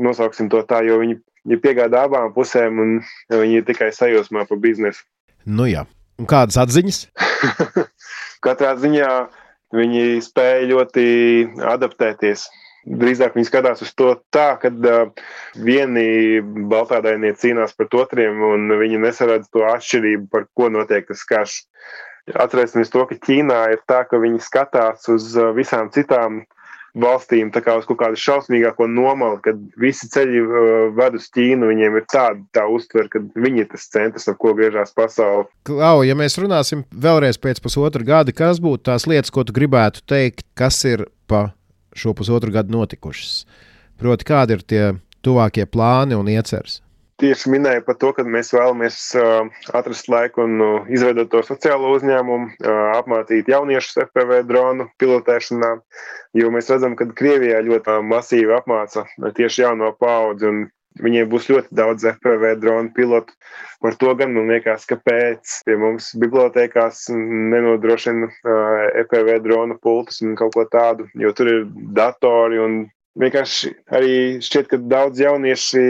Nosauksim to tā, jo viņi piegādā abām pusēm un viņi ir tikai sajūsmā par biznesu. Nu jā. Un kādas atziņas? Katrā ziņā viņi spēja ļoti adaptēties. Drīzāk viņi skatās uz to tā, kad vieni baltādainie cīnās pret otriem un viņi nesaredz to atšķirību, par ko notiek tas karš. Atcerēsimies to, ka Ķīnā ir tā, ka viņi skatās uz visām citām valstīm tā kā uz kaut kādu šausmīgāko nomalu, kad visi ceļi ved uz Ķīnu, viņiem ir tā uztver, ka viņi ir tas centrs, ap ko griežās pasauli. Klau, ja mēs runāsim vēlreiz pēc pusotra gada, kas būtu tās lietas, ko tu gribētu teikt, kas ir pa šo pusotru gadu notikušas? Proti, kādi ir tie tuvākie plāni un ieceres? tieši minēja par to, ka mēs vēlamies atrast laiku un izveidot to sociālo uzņēmumu, apmācīt jauniešus FPV dronu pilotēšanā, jo mēs redzam, ka Krievijā ļoti masīvi apmāca tieši jauno paudzi, un viņiem būs ļoti daudz FPV dronu pilotu. Par to gan man liekas, kāpēc pie mums bibliotēkās nenodrošina FPV dronu pultus un kaut ko tādu, jo tur ir datori un vienkārši arī šķiet, ka daudz jaunieši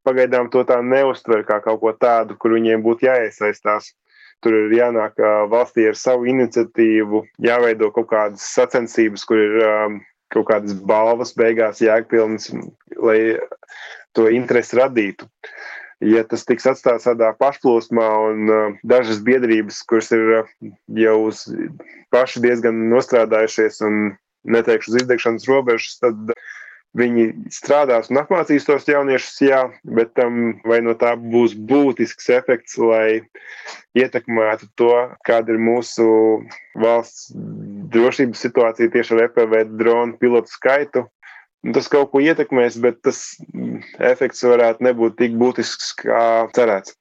pagaidām to tā neuztver kā kaut ko tādu, kur viņiem būtu jāiesaistās. Tur ir jānāk valstī ar savu iniciatīvu, jāveido kaut kādas sacensības, kur ir kaut kādas balvas beigās jēgpilnas, lai to interesi radītu. Ja tas tiks atstāts tādā pašplūsmā un dažas biedrības, kuras ir jau paši diezgan nostrādājušies un neteikšu uz izdegšanas robežas, tad viņi strādās un apmācīs tos jauniešus, jā, bet vai no tā būs būtisks efekts, lai ietekmētu to, kāda ir mūsu valsts drošības situācija tieši ar FPV dronu pilotu skaitu. Tas kaut ko ietekmēs, bet tas efekts varētu nebūt tik būtisks, kā cerēts.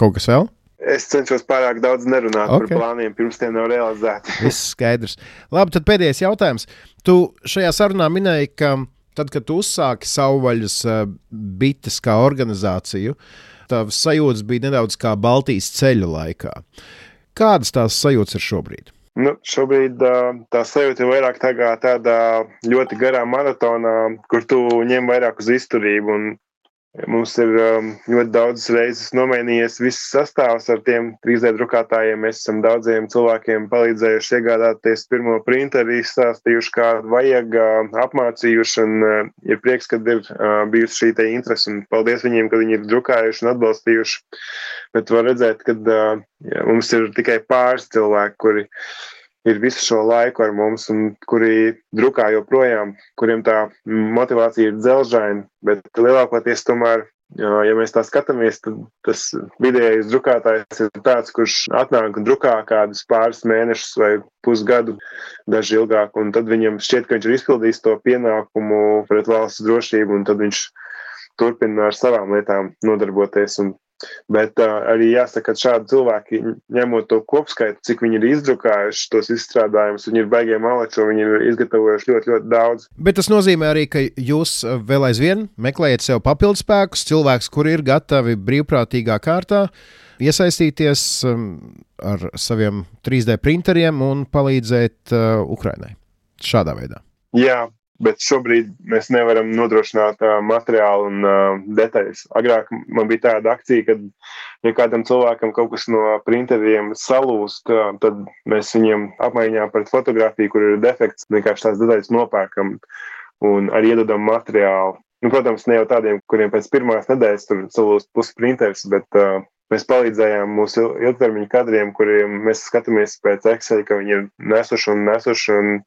Kaut kas vēl? Es cenšos pārāk daudz nerunāt par plāniem, pirms tie nav realizēti. Viss skaidrs. Labi, tad pēdējais jautājums. Tu šajā sarunā minēji, ka tad, kad tu uzsāki savvaļas bites kā organizāciju, tavs sajūtas bija nedaudz kā Baltijas ceļa laikā. Kādas tās sajūtas ir šobrīd? Šobrīd tā sajūta ir vairāk tādā ļoti garā maratonā, kur tu ņem vairāk uz izturību. Un mums ir ļoti daudz reizes nomainījies viss sastāvs ar tiem 3D drukātājiem. Mēs esam daudziem cilvēkiem palīdzējuši iegādāties pirmo printeri, stāstījuši, kā vajag, apmācījuši, un ir prieks, kad ir bijusi šī te interese, un paldies viņiem, ka viņi ir drukājuši un atbalstījuši. Bet var redzēt, ka mums ir tikai pāris cilvēki, kuri ir visu šo laiku ar mums un kuri drukā joprojām, kuriem tā motivācija ir dzelžaina, bet lielākoties tomēr, ja mēs tā skatāmies, tad tas vidējais drukātājs ir tāds, kurš atnāk un drukā kādus pāris mēnešus vai pusgadu, daži ilgāk, un tad viņam šķiet, ka viņš ir izpildījis to pienākumu pret valsts drošību, un tad viņš turpina ar savām lietām nodarboties. Bet arī jāsaka, ka šādi cilvēki, ņemot to kopskaitu, cik viņi ir izdrukājuši tos izstrādājumus, viņi ir baigie malači, viņi ir izgatavojuši ļoti, ļoti daudz. Bet tas nozīmē arī, ka jūs vēl aizvien meklējat sev papildspēkus, cilvēkus, kuri ir gatavi brīvprātīgā kārtā iesaistīties ar saviem 3D printeriem un palīdzēt Ukrainai šādā veidā. Jā. Bet šobrīd mēs nevaram nodrošināt materiālu un detaļas. Agrāk man bija tāda akcija, kad ja kādam cilvēkam kaut kas no printeriem salūst, tad mēs viņiem apmaiņā pret fotografiju, kur ir defekts, vienkārši tās detaļas nopērkam un arī iedodam materiālu. Protams, ne jau tādiem, kuriem pēc pirmās nedēļas tur salūst pusi printers, bet mēs palīdzējām mūsu ilgtermiņa kadriem, kuriem mēs skatāmies pēc Excel, ka viņi ir nesuši un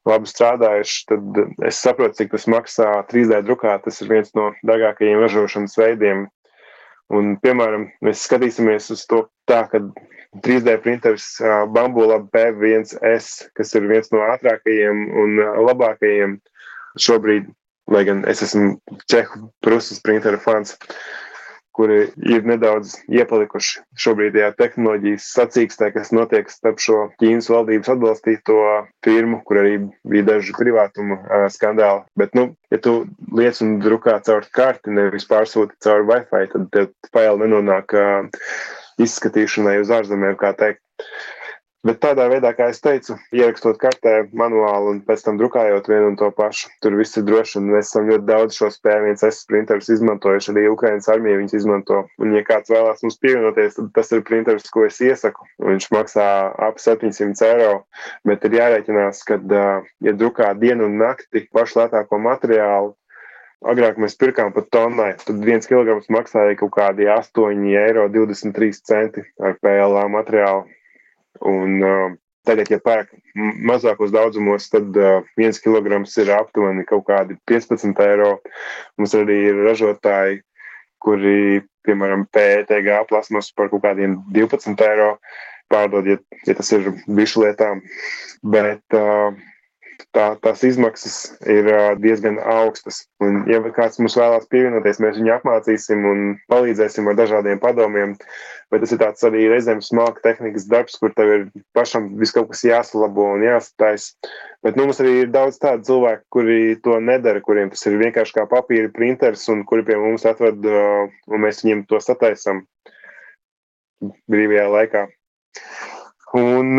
labi strādājuši, tad es saprotu, cik tas maksā 3D drukāt. Tas ir viens no dārgākajiem ražošanas veidiem. Un, piemēram, mēs skatīsimies uz to tā, ka 3D printers Bambu Lab P1S, kas ir viens no ātrākajiem un labākajiem šobrīd, lai gan es esmu Čehu Prusas printera fans, kuri ir nedaudz iepalikuši šobrīdējā tehnoloģijas sacīkstē, kas notiek starp šo Ķīnas valdības atbalstīto firmu, kur arī bija daži privātuma skandāli. Bet, ja tu liec un drukā caur karti, nevis pārsūti caur Wi-Fi, tad tev faili nenonāk izskatīšanai uz ārzemēm, kā teikt. Bet tādā veidā, kā es teicu, ierakstot kartē manuāli un pēc tam drukājot vienu un to pašu, tur viss ir droši, un mēs esam ļoti daudz šos P1S printerus izmantojuši, arī Ukrainas armija viņus izmanto. Un, ja kāds vēlās mums pievienoties, tad tas ir printers, ko es iesaku. Viņš maksā ap 700 eiro, bet ir jārēķinās, ka, ja drukā dienu un nakti pašu lētāko materiālu, agrāk mēs pirkām pat tonnai, tad 1 kilograms maksāja kaut kādi 8,23 eiro ar PLA materiālu. Un tagad, ja pērk mazākos daudzumos, tad 1 kilograms ir aptuveni kaut kādi 15 eiro. Mums arī ir ražotāji, kuri, piemēram, PETG plasmas par kaut kādiem 12 eiro pārdod, ja tas ir bišu lietām. Bet tās izmaksas ir diezgan augstas. Un, ja kāds mums vēlās pievienoties, mēs viņu apmācīsim un palīdzēsim ar dažādiem padomiem. Bet tas ir tāds arī reizēm smalka tehnikas darbs, kur tev ir pašam viss kaut kas jāsalabo un jāsatais. Bet mums arī ir daudz tādu cilvēku, kuri to nedara, kuriem tas ir vienkārši kā papīra printers un kuri pie mums atved un mēs viņiem to sataisam brīvajā laikā. Un,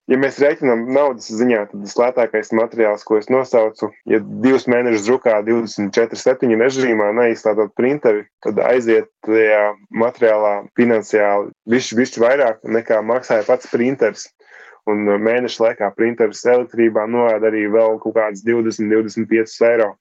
ja mēs rēķinām naudas ziņā, tad tas lētākais materiāls, ko es nosaucu, ja 2 mēnešus drukā 24/7 režīmā neizslēdzot printeri, tad aiziet tajā materiālā finansiāli bišķi vairāk nekā maksāja pats printers. Un mēneša laikā printeris elektrībā noēd arī vēl kaut kāds 20-25 eiro.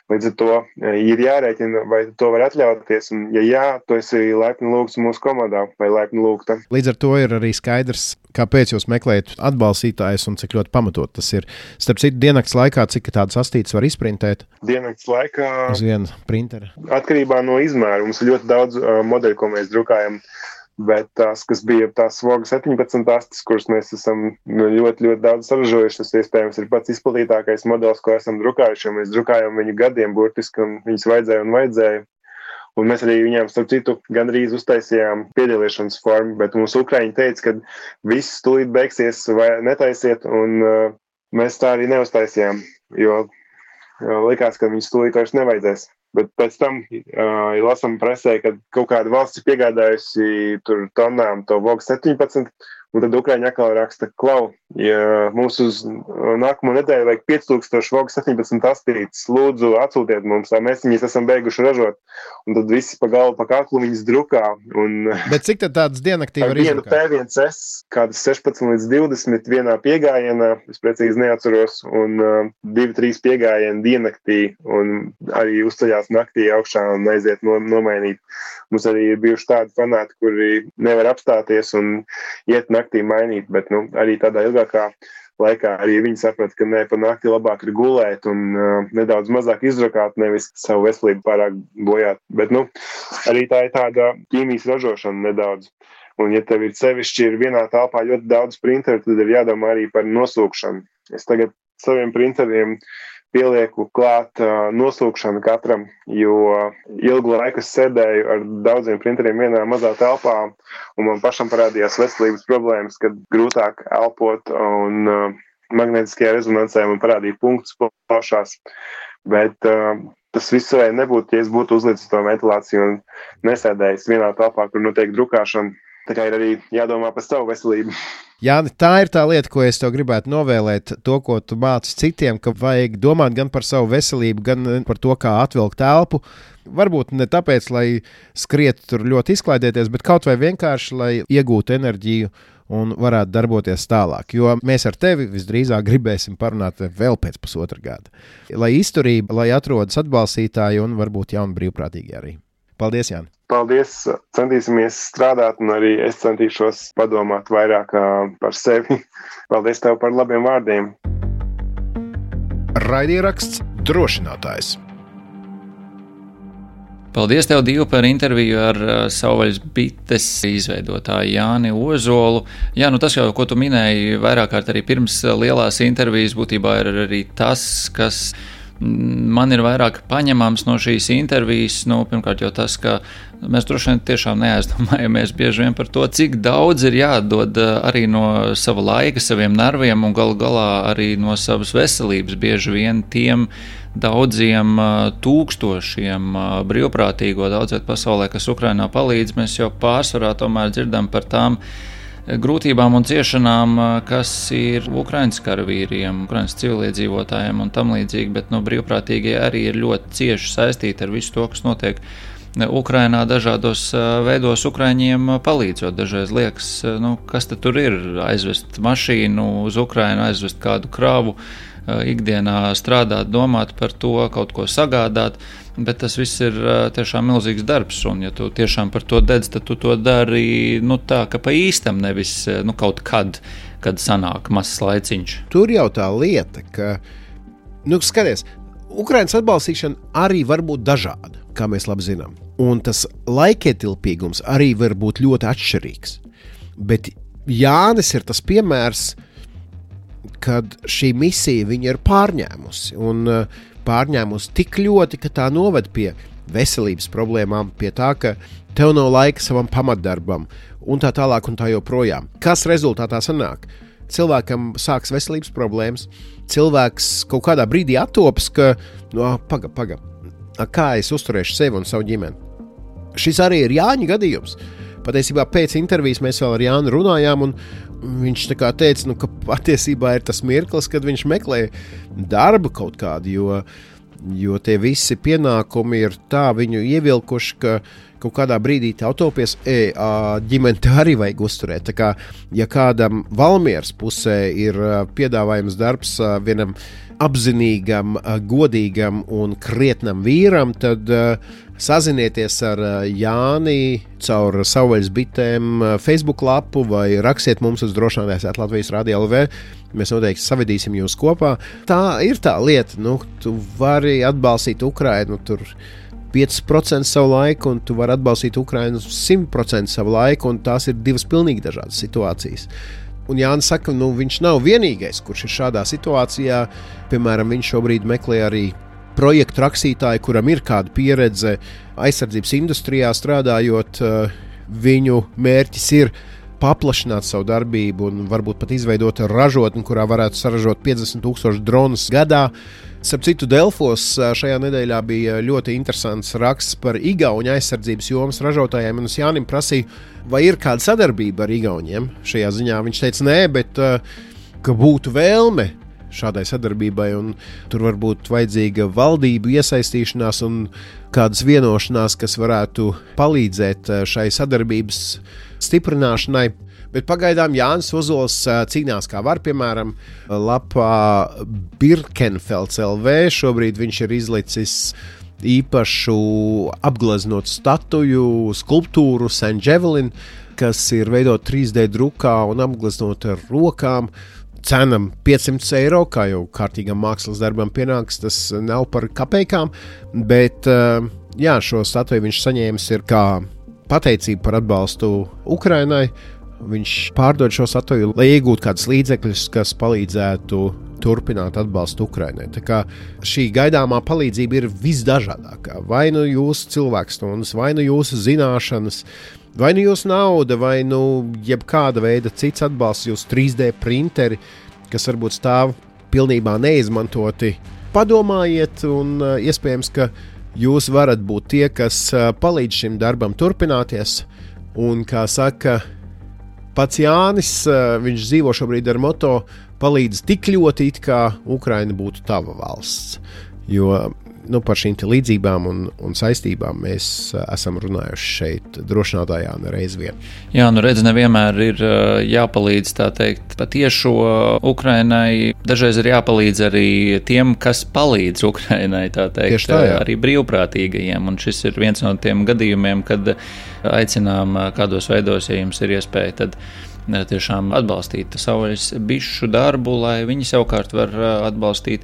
Līdz ar to ir jārēķina, vai to var atļauties, un ja jā, to esi laipni lūgts mūsu komandā vai laipni lūgta. Līdz ar to ir arī skaidrs, kāpēc jūs meklējat atbalstītājus un cik ļoti pamatot tas ir. Starp citu, diennakts laikā, cik tādas astītes var izprintēt? Diennakts laikā uz vienu printeri. Atkarībā no izmēra. Mums ir ļoti daudz modeļu, ko mēs drukājam. Bet tās, kas bija tās Voga 17 astes, kuras mēs esam ļoti daudz saražojuši, tas iespējams ir pats izplatītākais modelis, ko esam drukājuši, jo mēs drukājam viņu gadiem burtiski, un viņas vajadzēja. Un mēs arī viņām, starp citu, gandrīz uztaisījām piedalīšanas formu, bet mums Ukraiņi teica, ka viss tūlīt beigsies vai netaisiet, un mēs tā arī neuztaisījām, jo likās, ka viņas tūlīt vairs nevajadzēs. Bet pēc tam lasām presē, ka kaut kāda valsts ir piegādājusi tur tonām to Voga 17, un tad Ukraiņi atkal raksta, klau, ja mums uz nākamo nedēļu vajag 5000 Voga 17 astītes, lūdzu atsūtiet mums, lai mēs viņas esam beiguši ražot. Un tad visi pa galvu, pa kaklu viņas drukā. Un bet cik tad tādas diennaktī var izdrukāt? Vienu P1S, kādas 16-20 vienā piegājienā, es precīzi neatceros, un 2-3 piegājieni diennaktī, un arī uzceļās naktī augšā un aiziet nomainīt. Mums arī ir bijuši tādi fanāti, kuri nevar apstāties un iet naktī mainīt, bet arī tādā ilgākā laikā arī viņi saprata, ka pa nakti labāk ir gulēt un nedaudz mazāk izdrukāt, nevis savu veselību pārāk bojāt. Bet arī tā ir tāda ķīmijas ražošana nedaudz. Un ja tev ir sevišķi ir vienā telpā ļoti daudz printeru, tad ir jādomā arī par nosūkšanu. Es tagad saviem printeriem pielieku klāt nosūkšanu katram, jo ilgu laiku es sēdēju ar daudziem printeriem vienā mazā telpā, un man pašam parādījās veselības problēmas, kad grūtāk elpot, un magnētiskajā rezonansē man parādīja punktus plašās. Bet tas viss varēja nebūt, ja es būtu uzlicis to ventilāciju un nesēdējis vienā telpā, kur notiek drukāšana. Tā kā ir arī jādomā par savu veselību. Jāni, tā ir tā lieta, ko es tev gribētu novēlēt, to, ko tu māci citiem, ka vajag domāt gan par savu veselību, gan par to, kā atvilkt telpu. Varbūt ne tāpēc, lai skriet tur ļoti izklaidēties, bet kaut vai vienkārši, lai iegūtu enerģiju un varētu darboties tālāk. Jo mēs ar tevi visdrīzāk gribēsim parunāt vēl pēc 1,5 gada. Lai izturība, lai atrodas atbalstītāji un varbūt jauni brīvprātīgi arī. Paldies, Jāni! Paldies! Centīsimies strādāt, un arī es centīšos padomāt vairāk par sevi. Paldies tev par labiem vārdiem! Raidieraksts Drošinātājs. Paldies tev, Divu, par interviju ar Savvaļas bites izveidotāju Jāni Ozolu. Jā, tas jau, ko tu minēji vairāk kārt arī pirms lielās intervijas, būtībā ir arī tas, kas man ir vairāk paņemams no šīs intervijas. Pirmkārt jau tas, ka mēs droši vien tiešām neaizdomājamies bieži vien par to, cik daudz ir jādod arī no sava laika, saviem nerviem un galu galā arī no savas veselības bieži vien tiem daudziem tūkstošiem brīvprātīgo daudzviet pasaulē, kas Ukrainā palīdz. Mēs jau pārsvarā tomēr dzirdam par tām grūtībām un ciešanām, kas ir Ukrainas karavīriem, Ukrainas civiliedzīvotājiem un tam līdzīgi, bet brīvprātīgie arī ir ļoti cieši saistīti ar visu to, kas notiek Ukrainā dažādos veidos Ukraiņiem palīdzot. Dažreiz liekas, kas tad tur ir, aizvest mašīnu uz Ukrainu, aizvest kādu kravu, ikdienā strādāt, domāt par to, kaut ko sagādāt, bet tas viss ir tiešām milzīgs darbs, un ja tu tiešām par to dedz, tad tu to dari tā, ka pa īstam, nevis kaut kad sanāk mazs laiciņš. Tur jau tā lieta, ka, skaties, Ukrainas atbalstīšana arī var būt dažāda, kā mēs labi zinām, un tas laikietilpīgums arī var būt ļoti atšķirīgs, bet Jānis ir tas piemērs, kad šī misija viņa ir pārņēmusi. Un pārņēmusi tik ļoti, ka tā noved pie veselības problēmām, pie tā, ka tev nav laika savam pamatdarbam un tā tālāk un tā joprojām. Kas rezultātā sanāk? Cilvēkam sāks veselības problēmas, cilvēks kaut kādā brīdī attopas, ka paga, kā es uzturēšu sevi un savu ģimeni. Šis arī ir Jāņa gadījums. Patiesībā pēc intervijas mēs vēl ar Jānu runājām, un viņš tā kā teica, ka patiesībā ir tas mirklis, kad viņš meklē darbu kaut kādu, jo tie visi pienākumi ir tā viņu ievilkuši, ka kaut kādā brīdī tev topies, ģimeni te arī vajag uzturēt. Tā kā, ja kādam Valmieras pusē ir piedāvājums darbs vienam apzinīgam, godīgam un krietnam vīram, tad sazinieties ar Jāni caur Savvaļas bitēm Facebook lapu vai rakstiet mums uz drošinātājs@Latvijas Radio LV. Mēs noteikti savedīsim jūs kopā. Tā ir tā lieta, tu vari atbalstīt Ukrainu, tur 5% savu laiku, un tu vari atbalstīt Ukrainu 100% savu laiku, un tās ir divas pilnīgi dažādas situācijas. Un Jānis saka, viņš nav vienīgais, kurš ir šādā situācijā. Piemēram, viņš šobrīd meklē arī projektu rakstītāju, kuram ir kāda pieredze aizsardzības industrijā strādājot. Viņu mērķis ir paplašināt savu darbību un varbūt pat izveidot ražotni, kurā varētu saražot 50,000 dronus gadā. Starp citu, Delfos šajā nedēļā bija ļoti interesants raksts par Igauņu aizsardzības jomas ražotājiem, un es Jānim prasīju, vai ir kāda sadarbība ar Igauņiem šajā ziņā. Viņš teica, nē, bet ka būtu vēlme šādai sadarbībai, un tur var būt vajadzīga valdību iesaistīšanās un kādas vienošanās, kas varētu palīdzēt šai sadarbības stiprināšanai. Bet pagaidām Jānis Ozols cīnās kā var, piemēram, lapā Birkenfelds LV. Šobrīd viņš ir izlicis īpašu apgleznotu statuju, skulptūru St. Javelin, kas ir veidot 3D drukā un apgleznot ar rokām. Cena 500 eiro, kā jau kārtīgam mākslas darbam pienāks, tas nav par kapekām, bet šo statuju viņš saņēmis ir kā pateicību par atbalstu Ukrainai. Viņš pārdod šo statuju, lai iegūtu kādus līdzekļus, kas palīdzētu turpināt atbalstu Ukrainai. Tā kā šī gaidāmā palīdzība ir visdažādākā. Vai nu jūsu cilvēkstundas, vai nu jūsu zināšanas, vai nu jūsu nauda, vai nu jebkāda veida cits atbalsts, jūsu 3D printeri, kas varbūt stāv pilnībā neizmantoti. Padomājiet, un iespējams, ka jūs varat būt tie, kas palīdz šim darbam turpināties. Un, kā saka pats Jānis, viņš dzīvo šobrīd ar moto palīdz tik ļoti, it kā Ukraina būtu tava valsts. Jo par šīm līdzībām un saistībām mēs esam runājuši šeit drošinātājā nereiz vien. Jā, redz, nevienmēr ir jāpalīdz, tā teikt, patiešo Ukrainai. Dažreiz ir jāpalīdz arī tiem, kas palīdz Ukrainai, tā teikt, tā, arī brīvprātīgajiem. Un šis ir viens no tiem gadījumiem, kad aicinām kādos veidos, ja jums ir iespēja, tad tiešām atbalstīt Savvaļas bišu darbu, lai viņi savukārt var atbalstīt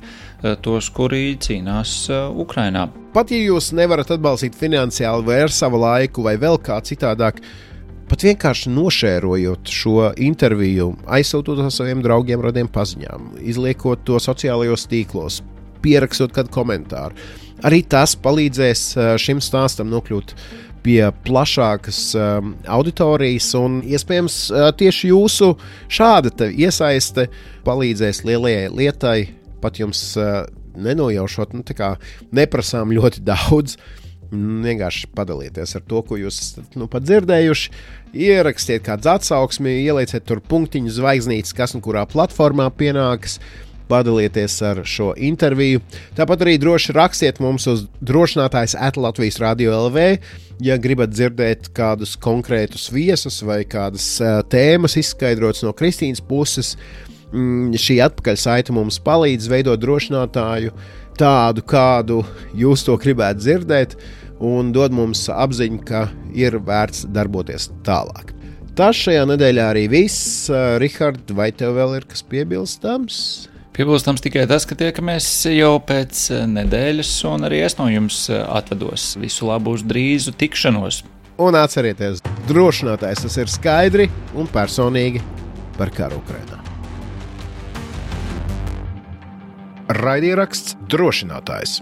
tos, kuri cīnās Ukrainā. Pat ja jūs nevarat atbalstīt finansiāli vai ar savu laiku vai vēl kā citādāk, pat vienkārši nošērojot šo interviju, aizsūtot to saviem draugiem, radiem paziņām, izliekot to sociālajos tīklos, pierakstot kādu komentāru. Arī tas palīdzēs šim stāstam nokļūt pie plašākas auditorijas, un iespējams tieši jūsu šāda iesaiste palīdzēs lielajai lietai, pat jums nenojaušot, neprasām ļoti daudz. Vienkārši padalieties ar to, ko jūs esat pat dzirdējuši, ierakstiet kādu atsauksmi, ielieciet tur punktiņu, zvaigznītes, kas un kurā platformā pienāks. Padalieties ar šo interviju. Tāpat arī droši rakstiet mums uz drošinātājs@Latvijas Radio LV, ja gribat dzirdēt kādus konkrētus viesus vai kādas tēmas izskaidrotas no Kristīnas puses. Šī atpakaļsaite mums palīdz veidot drošinātāju tādu, kādu jūs to gribētu dzirdēt, un dod mums apziņu, ka ir vērts darboties tālāk. Tas šajā nedēļā arī viss. Rihard, vai tev vēl ir kas piebilstams? Piebilstams tikai tas, ka tiekamies jau pēc nedēļas, un arī es no jums atvados. Visu labu uz drīzu tikšanos. Un atcerieties, drošinātājs tas ir skaidri un personīgi par karu Ukrainā. Raidieraksts Drošinātājs.